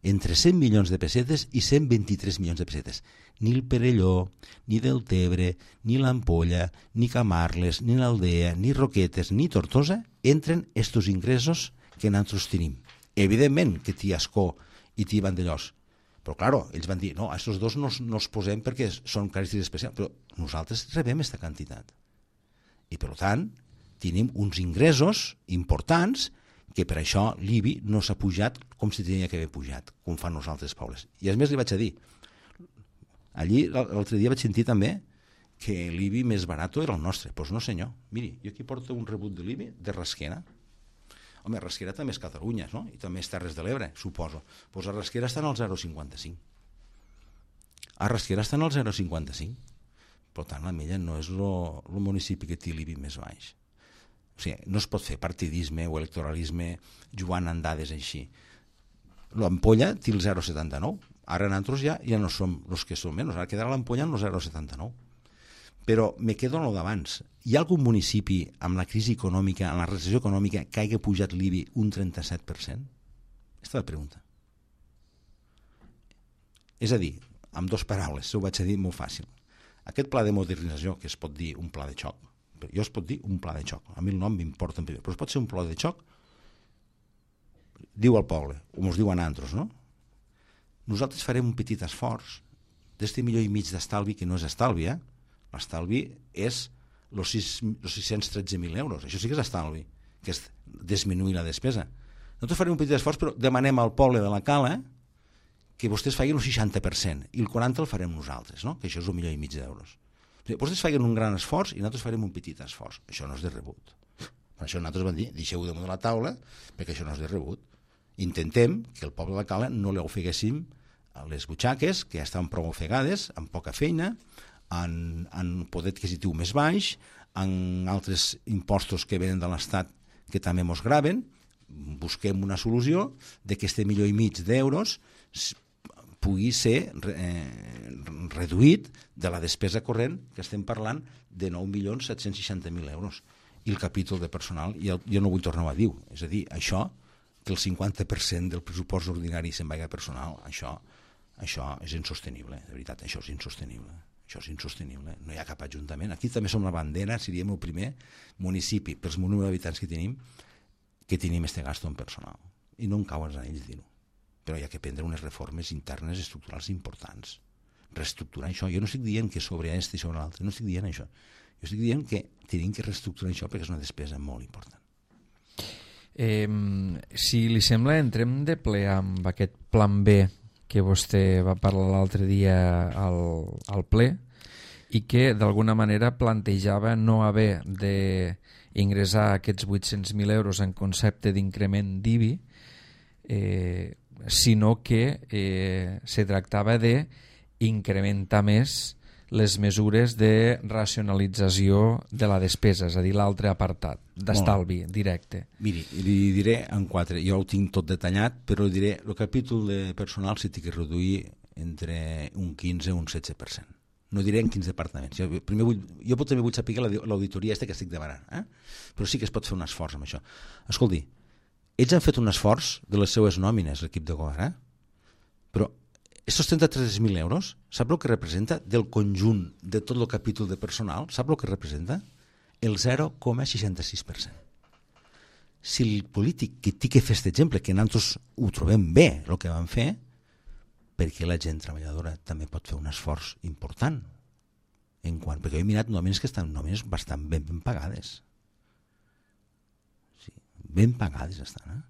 Entre 100 milions de pessetes i 123 milions de pessetes. Ni el Perelló, ni Deltebre, ni l'Ampolla, ni Camarles, ni l'Aldea, ni Roquetes, ni Tortosa entren estos ingressos que nosaltres tenim. Evidentment que t'hi Ascó i t'hi Vandellós. Però, claro, ells van dir, no, a estos dos no els posem perquè són característiques especials, però nosaltres rebem aquesta quantitat. I, per tant, tenim uns ingressos importants que per això l'IBI no s'ha pujat com si tenia que haver pujat, com fan els altres pobles. I a més li vaig a dir, allí l'altre dia vaig sentir també que l'IBI més barat era el nostre. Doncs no senyor, miri, jo aquí porto un rebut de l'IBI de Rasquera. Home, Rasquera també és Catalunya, no? I també és Terres de l'Ebre, suposo. Doncs a Rasquera estan al 0,55. A Rasquera estan al 0,55. Per tant, la Mella no és el municipi que té l'IBI més baix. O sigui, no es pot fer partidisme o electoralisme jugant en dades així. L'Ampolla té el 0,79. Ara nosaltres ja no som els que som menys. Ara quedarà l'Ampolla en el 0,79. Però me quedo en el d'abans. Hi ha algun municipi amb la crisi econòmica, amb la recessió econòmica, que hagi pujat l'IBI un 37%? Aquesta és la pregunta. És a dir, amb dues paraules, ho vaig a dir molt fàcil. Aquest pla de modernització, que es pot dir un pla de xoc, jo es pot dir un pla de xoc, a mi el nom m'importa en primer, però es pot ser un pla de xoc, diu al poble, o ens diu a nosaltres, no? Nosaltres farem un petit esforç d'este milió i mig d'estalvi, que no és estalvi, l'estalvi és els 613.000 euros, això sí que és estalvi, que és disminuir la despesa. Nosaltres farem un petit esforç, però demanem al poble de la Cala que vostès facin un 60% i el 40% el farem nosaltres, no? Que això és un milió i mig d'euros. Vostès facin un gran esforç i nosaltres farem un petit esforç. Això no és de rebut. Per això nosaltres vam dir, deixeu-ho damunt de la taula, perquè això no és de rebut. Intentem que el poble de la Cala no li ofeguéssim a les butxaques, que ja estan prou ofegades, amb poca feina, en poder adquisitiu més baix, en altres impostos que venen de l'Estat que també mos graven. Busquem una solució de que este milió i mig d'euros pugui ser reduït de la despesa corrent, que estem parlant de 9.760.000 euros. I el capítol de personal, jo no vull tornar a dir, és a dir, això, que el 50% del pressupost ordinari se'n vagi a personal, això és insostenible, de veritat, això és insostenible. Això és insostenible, no hi ha cap ajuntament. Aquí també som la bandera, seríem el primer municipi, pels número d'habitants que tenim este gasto en personal. I no em cau als anells dir-ho. Però hi ha que prendre unes reformes internes estructurals importants. Reestructurar això. Jo no estic dient que sobre aquest i sobre l'altre, no estic dient això. Jo estic dient que tenim que reestructurar això perquè és una despesa molt important. Si li sembla, entrem de ple amb aquest plan B que vostè va parlar l'altre dia al ple i que d'alguna manera plantejava no haver d'ingressar aquests 800.000 euros en concepte d'increment d'IBI, sinó que se tractava de incrementa més les mesures de racionalització de la despesa, és a dir, l'altre apartat d'estalvi directe. Miri, li diré en 4, jo ho tinc tot detallat, però diré, el capítol de personal s'ha de reduir entre un 15 i un 16%. No diré en quins departaments. Jo també vull saber l'auditoria que estic demanant, però sí que es pot fer un esforç amb això. Escolti, ells han fet un esforç de les seues nòmines, l'equip de govern, però aquests 33.000 euros, sap el que representa del conjunt de tot el capítol de personal? Sap el que representa? El 0,66%. Si el polític que té que fer aquest exemple, que nosaltres ho trobem bé, el que van fer, perquè la gent treballadora també pot fer un esforç important. Perquè jo he mirat nòmines que estan nòmines bastant ben pagades. Sí, ben pagades estan.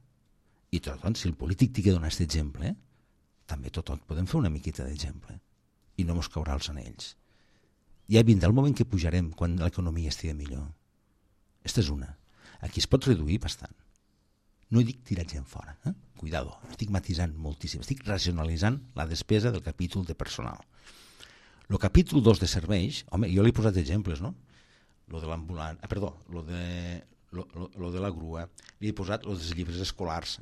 I tot, si el polític té que donar aquest exemple, també tot podem fer una miqueta d'exemple i no mos caurà els anells. Ja vindrà el moment que pujarem quan l'economia estigui millor. Aquesta és una. Aquí es pot reduir bastant. No dic tirar gent fora, cuidado, estic matisant moltíssim, estic racionalitzant la despesa del capítol de personal. El capítol 2 de serveis, home, jo li he posat exemples, no? Lo de l'ambulant, lo de la grua, li he posat els llibres escolars,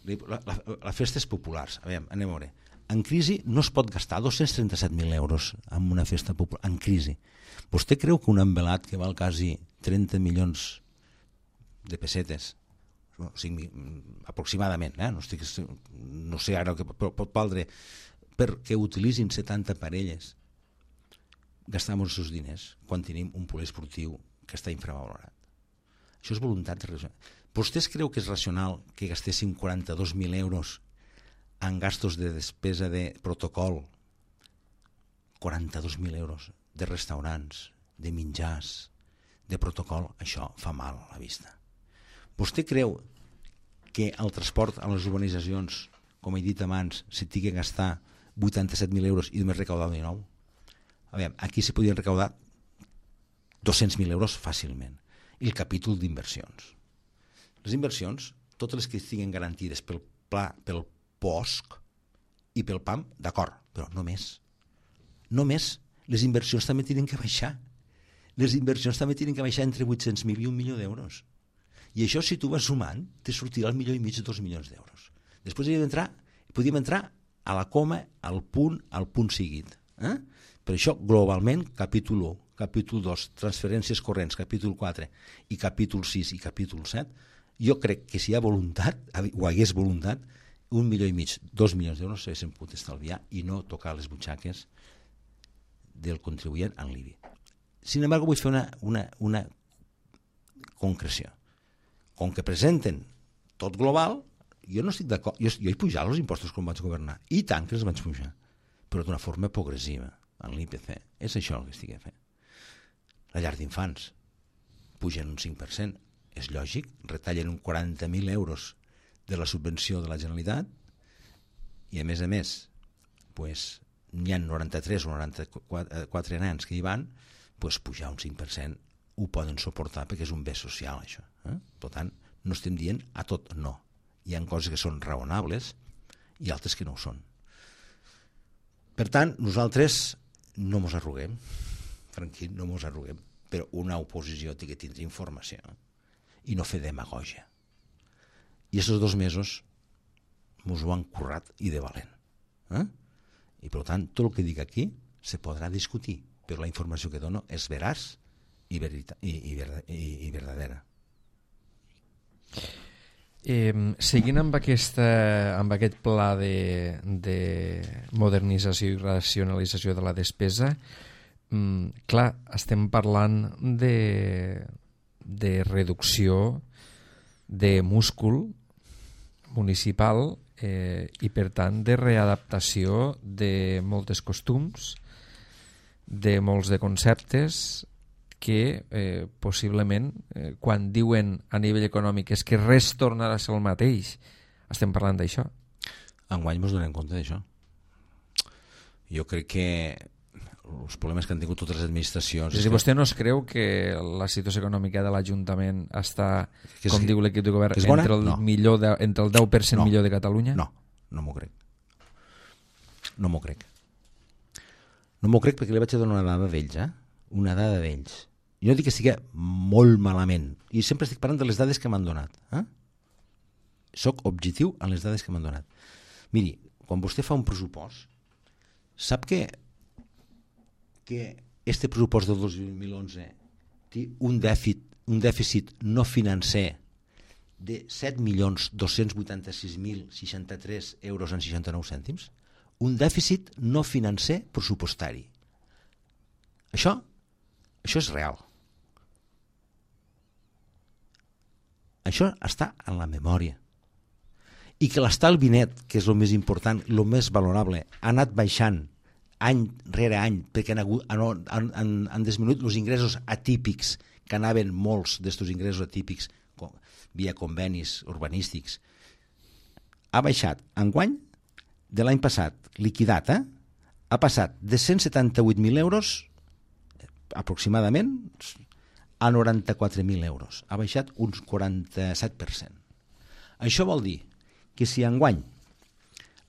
les festes populars. A veure, anem a veure. En crisi no es pot gastar 237.000 euros en una festa popular, en crisi. Vostè creu que un envelat que val quasi 30 milions de pessetes, aproximadament, no sé ara el que pot valdre, perquè utilitzin 70 parelles, gastem els seus diners quan tenim un poliesportiu que està infravalorat? Això és voluntat racional. Vostès creu que és racional que gastéssim 42.000 euros en gastos de despesa de protocol? 42.000 euros de restaurants, de menjars, de protocol, això fa mal a la vista. Vostè creu que el transport a les urbanitzacions, com he dit abans, s'hi tingui que gastar 87.000 euros i només recaudar 19? A veure, aquí s'hi podien recaudar 200.000 euros fàcilment. I el capítol d'inversions. Les inversions, totes les que estiguin garantides pel pla, pel POSC i pel PAM, d'acord, però no més. No més. Les inversions també tenen que baixar. Les inversions també tenen que baixar entre 800.000 i 1 milió d'euros. I això, si tu vas sumant, te sortirà al 1,5 milió de 2 milions d'euros. Després podíem entrar a la coma, al punt seguit. Per això, globalment, capítol 1, capítol 2, transferències corrents, capítol 4 i capítol 6 i capítol 7, jo crec que si hi ha voluntat, o hagués voluntat, 1,5 milió, 2 milions d'euros s'haguessin pogut estalviar i no tocar les butxaques del contribuent en l'IBI. Sin embargo, vull fer una concreció. Com que presenten tot global, jo no estic d'acord. Jo he pujat els impostos quan vaig governar, i tant que els vaig pujar, però d'una forma progressiva, en l'IPC. És això el que estic fent. La llar d'infants pugen un 5%, és lògic, retallen un 40.000 euros de la subvenció de la Generalitat, i a més, n'hi ha 93 o 94 nens que hi van, pujar un 5% ho poden suportar perquè és un bé social, això. Per tant, no estem dient a tot no. Hi ha coses que són raonables i altres que no ho són. Per tant, nosaltres no mos arruguem, tranquil, no mos arruguem, però una oposició té que tindre informació i no fer demagògia. I aquests 2 mesos mos ho han currat i de valent. I per tant, tot el que dic aquí se podrà discutir, però la informació que dono és veraç i verdadera. Seguint amb aquest pla de modernització i racionalització de la despesa, clar, estem parlant de reducció de múscul municipal i per tant de readaptació de moltes costums, de molts de conceptes que possiblement quan diuen a nivell econòmic és que res tornarà a ser el mateix, estem parlant d'això. Enguany ens donem compte d'això. Jo crec que els problemes que han tingut totes les administracions... És a dir, vostè no es creu que la situació econòmica de l'Ajuntament està, com diu l'equip de govern, entre el 10% millor de Catalunya? No m'ho crec. No m'ho crec. No m'ho crec perquè li vaig a donar una dada d'ells, una dada d'ells. Jo no dic que estigui molt malament, i sempre estic parlant de les dades que m'han donat. Soc objectiu en les dades que m'han donat. Miri, quan vostè fa un pressupost, sap que este pressupost del 2011 té un dèficit no financer de 7.286.063 euros en 69 cèntims? Un dèficit no financer pressupostari. Això és real. Això està en la memòria. I que l'estalvi net, que és el més important, el més valorable, ha anat baixant any rere any, perquè han disminuït els ingressos atípics, que anaven molts d'estos ingressos atípics via convenis urbanístics. Ha baixat enguany de l'any passat, liquidat, ha passat de 178.000 euros aproximadament a 94.000 euros. Ha baixat uns 47%. Això vol dir que si enguany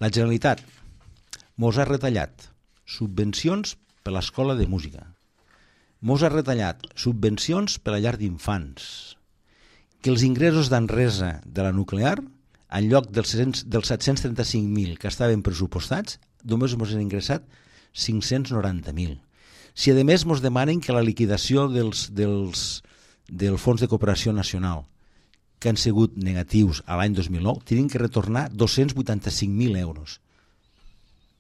la Generalitat mos ha retallat subvencions per l'escola de música, mos ha retallat subvencions per a llar d'infants, que els ingressos d'Enresa de la nuclear, en lloc dels 735.000 que estaven pressupostats, només ens han ingressat 590.000. Si a més ens demanen que la liquidació del Fons de Cooperació Nacional, que han sigut negatius a l'any 2009, tenen que retornar 285.000 euros.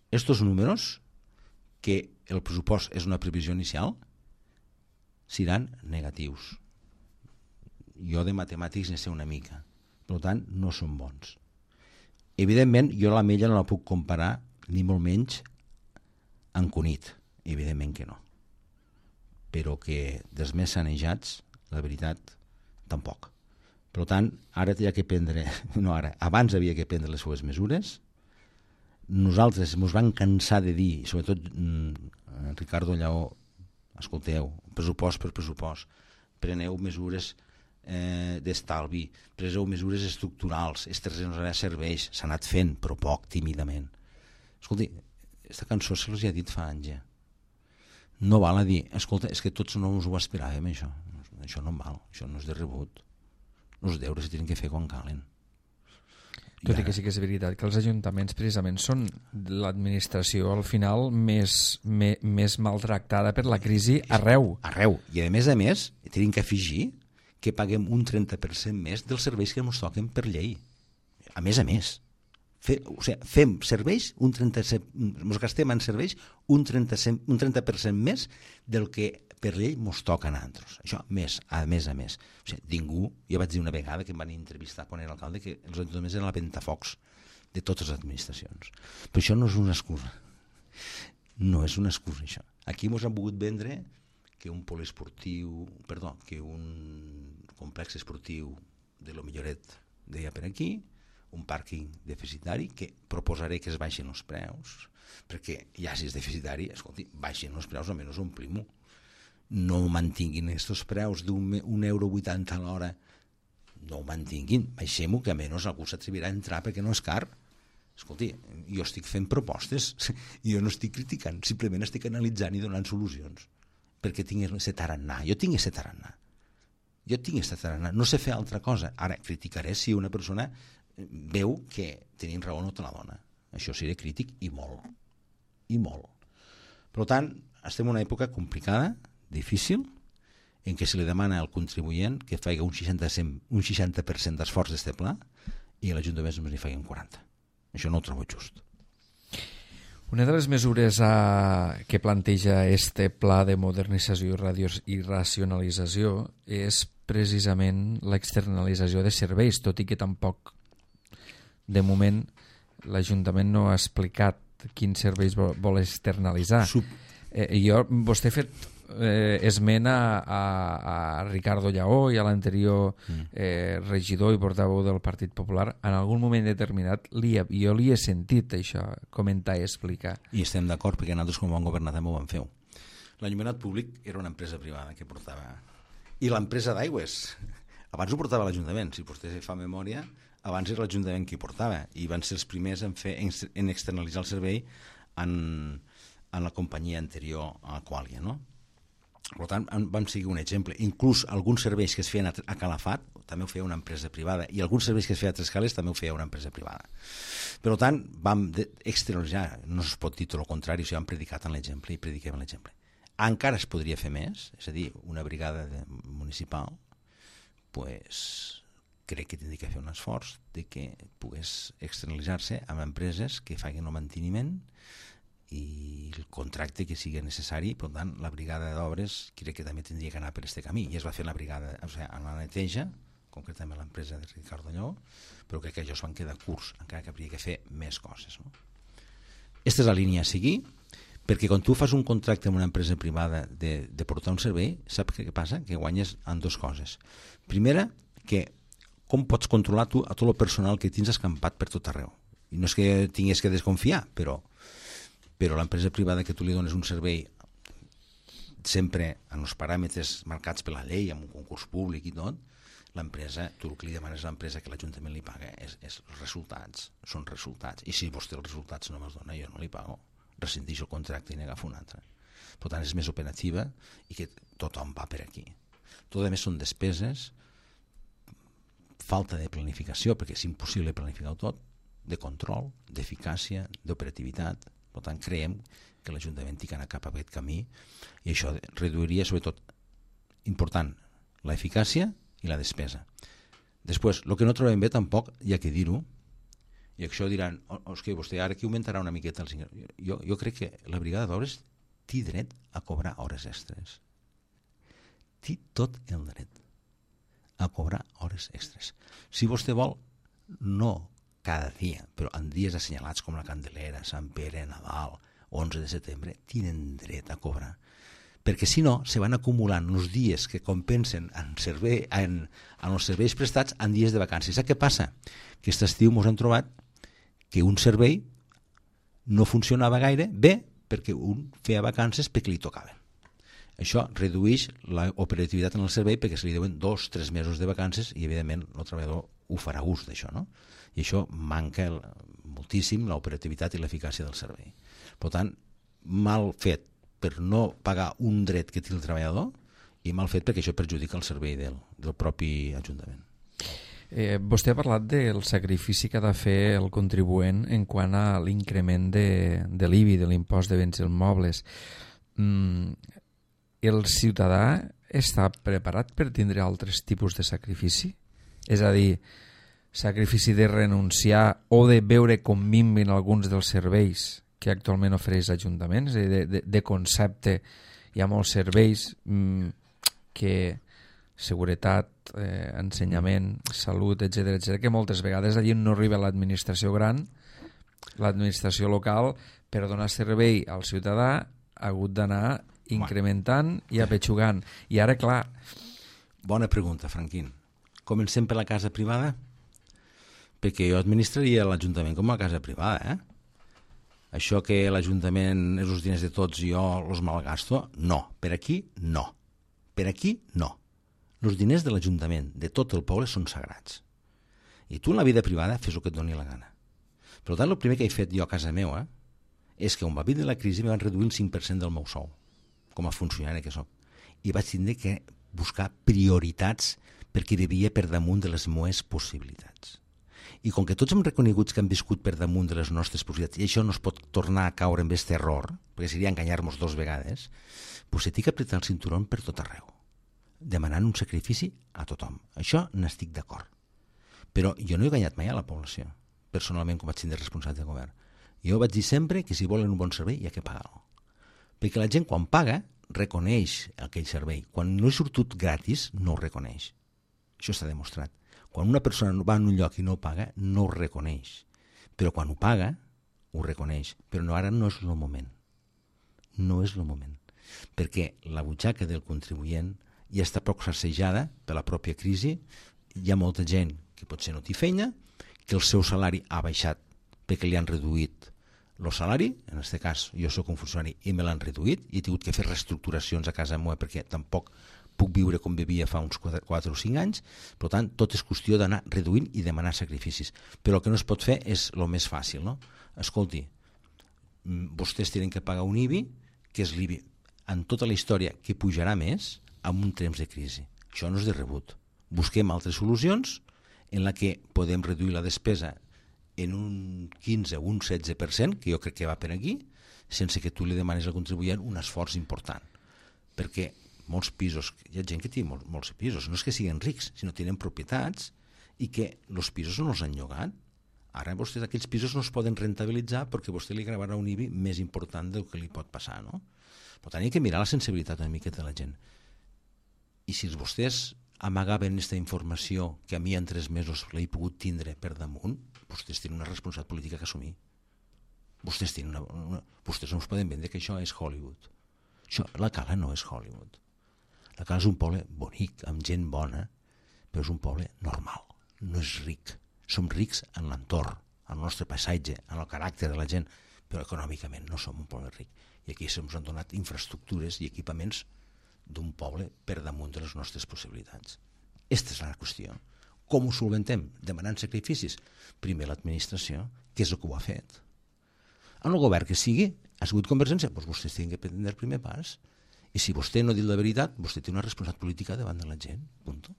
Estos números, que el pressupost és una previsió inicial, seran negatius. Jo de matemàtics ne sé una mica, per tant no són bons. Evidentment jo l'Ametlla no la puc comparar ni molt menys amb Cunit, evidentment que no, però que dels més sanejats la veritat tampoc. Per tant, ara hi ha que prendre, abans havia que prendre les seues mesures. Nosaltres ens vam cansar de dir, sobretot Ricardo Lleó, escolteu, pressupost per pressupost, preneu mesures d'estalvi, preseu mesures estructurals, estes no serveix, s'ha anat fent, però poc, tímidament. Escolti, aquesta cançó se l'ha dit fa anys ja. No val a dir, escolta, és que tots no us ho esperàvem, això no val, això no és de rebut. Els deures se tenen que fer quan calen. Tot i que sí que és veritat que els ajuntaments precisament són l'administració al final més maltractada per la crisi arreu. Arreu. I a més, tenim que afegir que paguem un 30% més dels serveis que ens toquen per llei. A més. Fem serveis, ens gastem en serveis un 30% més del que per llei ens toca a nosaltres. Això, a més. O sigui, ningú, ja vaig dir una vegada que em van entrevistar quan era alcalde que els ajuntaments eren la ventafocs de totes les administracions. Però això no és una excusa. No és una excusa, això. Aquí ens han volgut vendre que un que un complex esportiu de lo milloret deia per aquí, un pàrquing deficitari, que proposaré que es baixin els preus, perquè ja si és deficitari, escolti, baixin els preus, almenys omplim-ho. No mantinguin aquests preus d'1,80 € a l'hora, no ho mantinguin, baixem-ho, que almenys algú s'atrevirà a entrar perquè no és car. Escolti, jo estic fent propostes, jo no estic criticant, simplement estic analitzant i donant solucions, perquè tinc aquest tarannà. Jo tinc aquest tarannà, no sé fer altra cosa. Ara criticaré si una persona veu que tenim raó no te la dona. Això seré crític i molt. Per tant, estem en una època complicada, difícil, en què se li demana al contribuent que faci un 60% d'esforç d'este pla i a l'Ajuntament només n'hi faci un 40%. Això no ho trobo just. Una de les mesures que planteja este pla de modernització i racionalització és precisament l'externalització de serveis, tot i que tampoc, de moment, l'Ajuntament no ha explicat quins serveis vol externalitzar. Vostè ha fet esment a Ricardo Lleó i a l'anterior regidor i portaveu del Partit Popular. En algun moment determinat jo li he sentit això, comentar i explicar. I estem d'acord perquè nosaltres com a governat també ho vam fer. L'enllumenat públic era una empresa privada que portava... I l'empresa d'aigües, abans ho portava l'Ajuntament, si vostè fa memòria, abans era l'Ajuntament qui portava, i van ser els primers en externalitzar el servei a la companyia anterior a Qualia, no? Per tant, vam seguir un exemple. Inclús alguns serveis que es feien a Calafat també ho feia una empresa privada, i alguns serveis que es feia a Trescales també ho feia una empresa privada. Per tant, vam externalitzar, no es pot dir tot el contrari, o sigui, vam predicar en l'exemple i prediquem l'exemple. Encara es podria fer més, és a dir, una brigada municipal, pues, crec que tindria que fer un esforç de que pogués externalitzar-se amb empreses que facin el manteniment i el contracte que sigui necessari. Per tant, la brigada d'obres crec que també tindria que anar per aquest camí, i es va fer la brigada, o sigui, en la neteja, concretament l'empresa de Ricardo Lleó, però crec que allò es van quedar curts, encara que hauria que fer més coses, no? Aquesta és la línia a seguir, perquè quan tu fas un contracte amb una empresa privada de portar un servei, saps què passa? Que guanyes en dues coses. Primera, que com pots controlar tu a tot el personal que tens escampat per tot arreu. I no és que tingués que desconfiar, però l'empresa privada que tu li dones un servei sempre en els paràmetres marcats per la llei, amb un concurs públic i tot, l'empresa, tu el que li demanes a l'empresa que l'Ajuntament li paga és els resultats, són resultats, i si vostè els resultats no me'ls dona, jo no li pago, rescindix el contracte i n'agafo un altre. Per tant, és més operativa i que tothom va per aquí. Tot a més són despeses, falta de planificació, perquè és impossible planificar-ho tot, de control, d'eficàcia, d'operativitat. Per tant, creiem que l'Ajuntament ha d'anar cap a aquest camí, i això reduiria, sobretot, important, l'eficàcia i la despesa. Després, el que no trobem bé tampoc, hi ha que dir-ho, i això diran, que vostè ara que augmentarà una miqueta els ingressos. Jo crec que la brigada d'obres té dret a cobrar hores extres. Té tot el dret a cobrar hores extres. Si vostè vol, no cada dia, però en dies assenyalats com la Candelera, Sant Pere, Nadal, 11 de setembre, tenen dret a cobrar. Perquè si no, se van acumulant els dies que compensen en els serveis prestats en dies de vacances. Sap què passa? Que aquest estiu ens hem trobat que un servei no funcionava gaire bé perquè un feia vacances perquè li tocaven. Això redueix l'operativitat en el servei perquè se li deuen 2-3 mesos de vacances i, evidentment, el treballador ho farà ús d'això, no? I això manca moltíssim l'operativitat i l'eficàcia del servei. Per tant, mal fet per no pagar un dret que té el treballador i mal fet perquè això perjudica el servei del propi Ajuntament. Vostè ha parlat del sacrifici que ha de fer el contribuent en quant a l'increment de l'IBI, de l'impost de béns immobles. El ciutadà està preparat per tindre altres tipus de sacrifici? És a dir, sacrifici de renunciar o de veure com minven alguns dels serveis que actualment ofereix l'Ajuntament. És a dir, de concepte, hi ha molts serveis que seguretat, ensenyament, salut, etc., que moltes vegades allí no arriba l'administració gran, l'administració local, per donar servei al ciutadà ha hagut d'anar incrementant i apetxugant. I ara, clar... Bona pregunta, Franquín. Comencem per la casa privada? Perquè jo administraria l'Ajuntament com a casa privada, Això que l'Ajuntament és els diners de tots i jo els malgasto, no. Per aquí, no. Per aquí, no. Els diners de l'Ajuntament, de tot el poble, són sagrats. I tu en la vida privada fes el que et doni la gana. Per tant, el primer que he fet jo a casa meva és que quan va vindre la crisi em van reduir el 5% del meu sou, com a funcionari que soc. I vaig tindre que buscar prioritats perquè vivia per damunt de les meves possibilitats. I com que tots hem reconegut que hem viscut per damunt de les nostres possibilitats i això no es pot tornar a caure en aquest error, perquè seria enganyar-nos 2 vegades, doncs s'ha d'apretar el cinturó per tot arreu, demanant un sacrifici a tothom. Això n'estic d'acord. Però jo no he enganyat mai a la població, personalment, com vaig tindre responsable de govern. Jo vaig dir sempre que si volen un bon servei hi ha que pagar-lo. Perquè la gent, quan paga, reconeix aquell servei. Quan no és sortit gratis, no ho reconeix. Això està demostrat. Quan una persona va a un lloc i no paga, no ho reconeix. Però quan ho paga, ho reconeix. Però no, ara no és el moment. No és el moment. Perquè la butxaca del contribuent ja està poc sacsejada per la pròpia crisi. Hi ha molta gent que potser no té feina, que el seu salari ha baixat perquè li han reduït el salari. En aquest cas, jo soc un funcionari i me l'han reduït i he tingut que fer reestructuracions a casa meva perquè tampoc puc viure com vivia fa uns 4 o 5 anys. Per tant, tot és qüestió d'anar reduint i demanar sacrificis. Però el que no es pot fer és el més fàcil, no? Escolti, vostès tenen que pagar un IBI, que és l'IBI en tota la història, que pujarà més en un temps de crisi. Això no és de rebut. Busquem altres solucions en la que podem reduir la despesa en un 15 o un 16%, que jo crec que va per aquí, sense que tu li demanis al contribuent un esforç important. Perquè molts pisos, hi ha gent que té molts pisos, no és que siguin rics, sinó que tenen propietats i que els pisos no els han llogat. Ara vostès aquells pisos no es poden rentabilitzar perquè vostè li gravarà un IBI més important del que li pot passar, no? Per tant, hi ha que mirar la sensibilitat una miqueta de la gent. I si vostès amagaven aquesta informació que a mi en 3 mesos l'he pogut tindre per damunt, vostès tenen una responsabilitat política que assumir. Vostès no us poden vendre que això és Hollywood. La Cala no és Hollywood. La Cala és un poble bonic, amb gent bona, però és un poble normal, no és ric. Som rics en l'entorn, en el nostre paisatge, en el caràcter de la gent, però econòmicament no som un poble ric. I aquí se'ns han donat infraestructures i equipaments d'un poble per damunt de les nostres possibilitats. Aquesta és la qüestió. Com ho solventem? Demanant sacrificis? Primer l'administració, que és el que ho ha fet. En el govern que sigui, ha sigut Convergència, doncs vostès tenen que prendre el primer pas. I si vostè no ha dit la veritat, vostè té una responsabilitat política davant de la gent. Punto.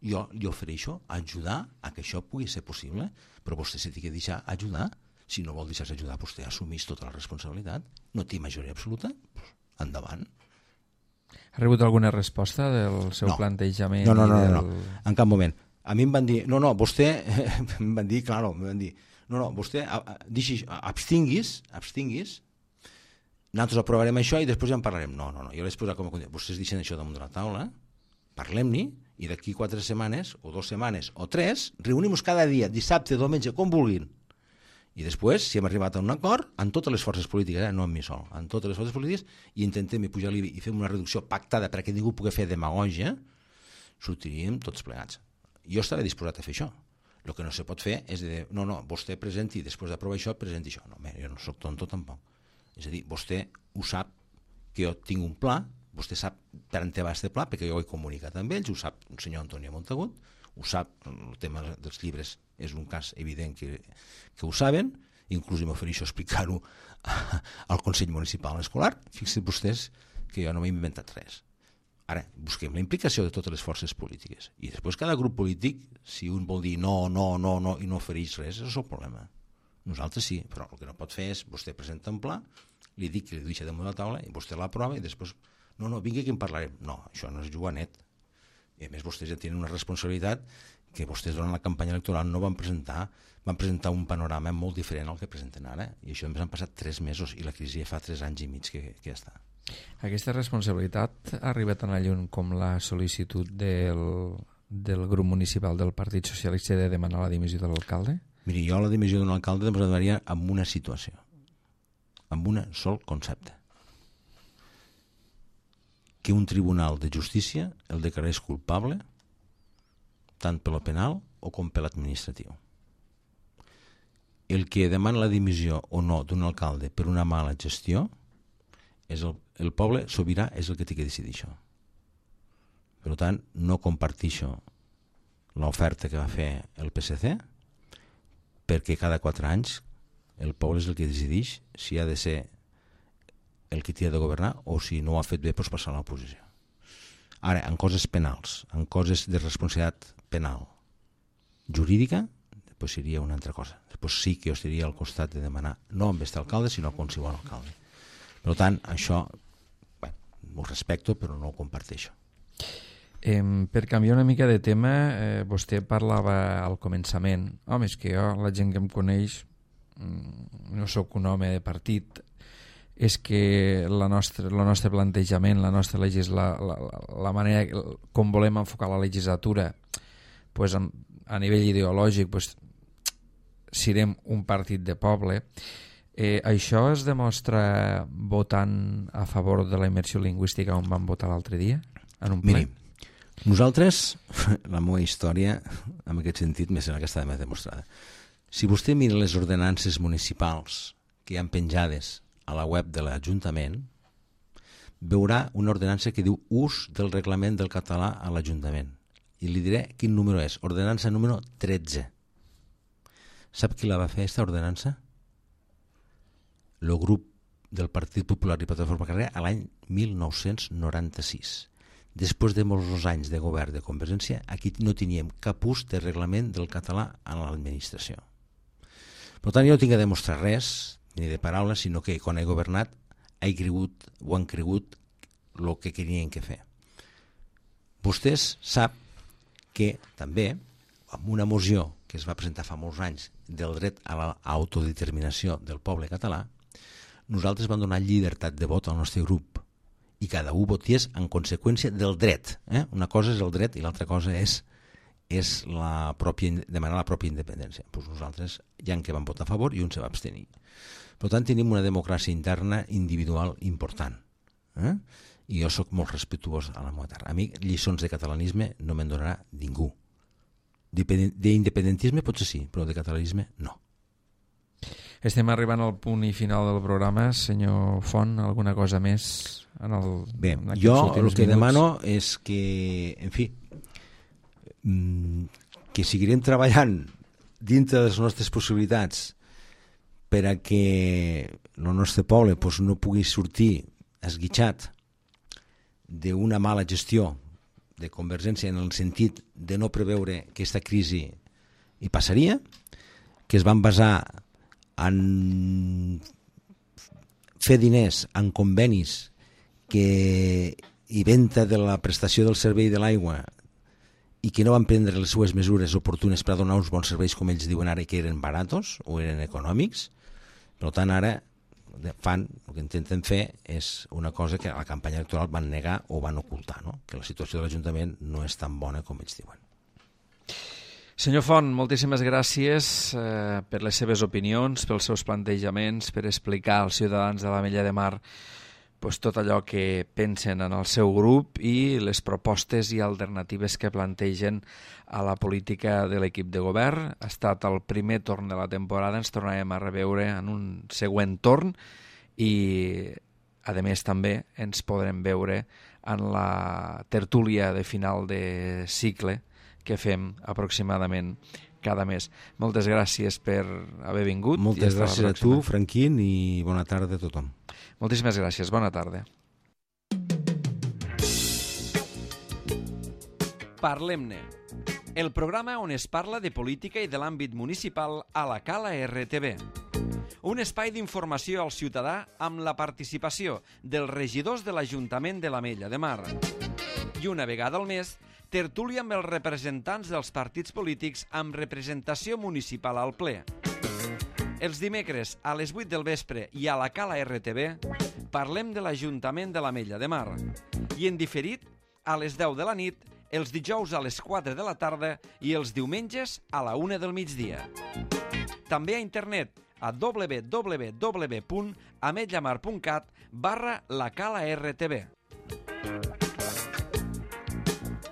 Jo li ofereixo ajudar a que això pugui ser possible, però vostè s'ha de deixar ajudar. Si no vol deixar-se ajudar, vostè assumís tota la responsabilitat. No té majoria absoluta? Endavant. Ha rebut alguna resposta del seu plantejament? No, en cap moment. A mi em van dir, vostè, em van dir, vostè abstinguis, nosaltres aprovarem això i després ja en parlarem. No, jo l'he posat com a condició. Vostès deixen això damunt de la taula, parlem-ne, i d'aquí 4 setmanes, o 2 setmanes, o 3, reunim-nos cada dia, dissabte, diumenge, com vulguin. I després, si hem arribat a un acord, amb totes les forces polítiques, no amb mi sol, amb totes les forces polítiques, i intentem pujar l'IBI i fem una reducció pactada perquè ningú pugui fer demagògia, sortiríem tots plegats. Jo estaré disposat a fer això. El que no se pot fer és dir, vostè presenti, després d'aprovar això, presenti això. No, jo no soc tonto tampoc. És a dir, vostè ho sap que jo tinc un pla, vostè sap per on va este pla, perquè jo ho he comunicat amb ells, ho sap el senyor Antonio Montagut, ho sap, el tema dels llibres és un cas evident que ho saben, inclús m'ofereixo explicar-ho al Consell Municipal Escolar. Fixin vostès que jo no m'he inventat res. Ara, busquem la implicació de totes les forces polítiques. I després cada grup polític, si un vol dir no i no ofereix res, és el problema. Nosaltres sí, però el que no pot fer és vostè presenta un pla, li dic que li deixa damunt de la taula i vostè l'aprova i després vingui que en parlarem. No, això no és jugar net. I a més vostès ja tenen una responsabilitat que vostès durant la campanya electoral no van presentar un panorama molt diferent al que presenten ara, i això ens han passat 3 mesos i la crisi ja fa 3 anys i mig que ja està. Aquesta responsabilitat ha arribat tan lluny com la sol·licitud del grup municipal del Partit Socialista de demanar la dimissió de l'alcalde? Miri, jo la dimissió d'un alcalde em demanaria amb una situació, amb un sol concepte: que un tribunal de justícia el declarés culpable tant per lo penal o com per l'administratiu. El que demana la dimissió o no d'un alcalde per una mala gestió és el poble sobirà, és el que té que decidir això. Per tant, no compartixo l'oferta que va fer el PSC, perquè cada 4 anys el poble és el que decideix si ha de ser el que té de governar o si no ho ha fet bé doncs passar a l'oposició. Ara, en coses penals, en coses de responsabilitat penal jurídica, després seria una altra cosa. Després sí que jo estaria al costat de demanar no amb aquest alcalde, sinó a qualsevol alcalde. Per tant, això ho respecto, però no ho comparteixo. Per canviar una mica de tema, vostè parlava al començament, home, és que jo, la gent que em coneix, no sóc un home de partit, és que el nostre plantejament, la nostra la manera com volem enfocar la legislatura, pues, a nivell ideològic, pues, serem un partit de poble. Això es demostra votant a favor de la immersió lingüística on vam votar l'altre dia? En un ple? Miri, nosaltres, la meva història, en aquest sentit, me sembla que està més demostrada. Si vostè mira les ordenances municipals que hi ha penjades a la web de l'Ajuntament, veurà una ordenança que diu ús del reglament del català a l'Ajuntament. I li diré quin número és. Ordenança número 13. Sap qui la va fer, aquesta ordenança? el grup del Partit Popular i Plataforma Carrera a l'any 1996. Després de molts anys de govern de Convergència, aquí no teníem cap ús de reglament del català a l'administració. Per tant, jo no tinc a demostrar res, ni de paraules, sinó que quan he governat han cregut el que tenien que fer. Vostès sap que també, amb una moció que es va presentar fa molts anys del dret a l'autodeterminació del poble català, nosaltres vam donar llibertat de vot al nostre grup i cada un votés en conseqüència del dret. Una cosa és el dret i l'altra cosa és demanar la pròpia independència. Pues nosaltres hi ha que vam votar a favor i un se va abstenir. Per tant, tenim una democràcia interna individual important. I jo sóc molt respectuós a la meva terra. A mi lliçons de catalanisme no me'n donarà ningú. D'independentisme potser sí, però de catalanisme no. Estem arribant al punt i final del programa. Senyor Font, alguna cosa més? Bé, jo el que demano és que, en fi, que seguirem treballant dintre de les nostres possibilitats per a que el nostre poble no pugui sortir esguitxat d'una mala gestió de Convergència en el sentit de no preveure que aquesta crisi hi passaria, que es van basar en fer diners en convenis i venda de la prestació del servei de l'aigua i que no van prendre les seues mesures oportunes per a donar uns bons serveis, com ells diuen ara, que eren baratos o eren econòmics. Per tant, ara el que intenten fer és una cosa que a la campanya electoral van negar o van ocultar, no? Que la situació de l'Ajuntament no és tan bona com ells diuen. Senyor Font, moltíssimes gràcies per les seves opinions, pels seus plantejaments, per explicar als ciutadans de l'Ametlla de Mar tot allò que pensen en el seu grup i les propostes i alternatives que plantegen a la política de l'equip de govern. Ha estat el primer torn de la temporada, ens tornarem a reveure en un següent torn i, a més, també ens podrem veure en la tertúlia de final de cicle que fem aproximadament cada mes. Moltes gràcies per haver vingut. Moltes gràcies a tu, Franquín, i bona tarda a tothom. Moltíssimes gràcies. Bona tarda. Parlem-ne, el programa on es parla de política i de l'àmbit municipal a la Cala RTV. Un espai d'informació al ciutadà amb la participació dels regidors de l'Ajuntament de l'Ametlla de Mar. I una vegada al mes, tertúlia amb els representants dels partits polítics amb representació municipal al ple. Els dimecres a les 8 del vespre i a la Cala RTV parlem de l'Ajuntament de l'Ametlla de Mar i en diferit a les 10 de la nit, els dijous a les 4 de la tarda i els diumenges a la 1 del migdia. També a internet a www.ametllamar.cat/lacala-rtv.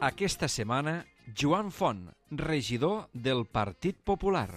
Aquesta setmana, Joan Font, regidor del Partit Popular.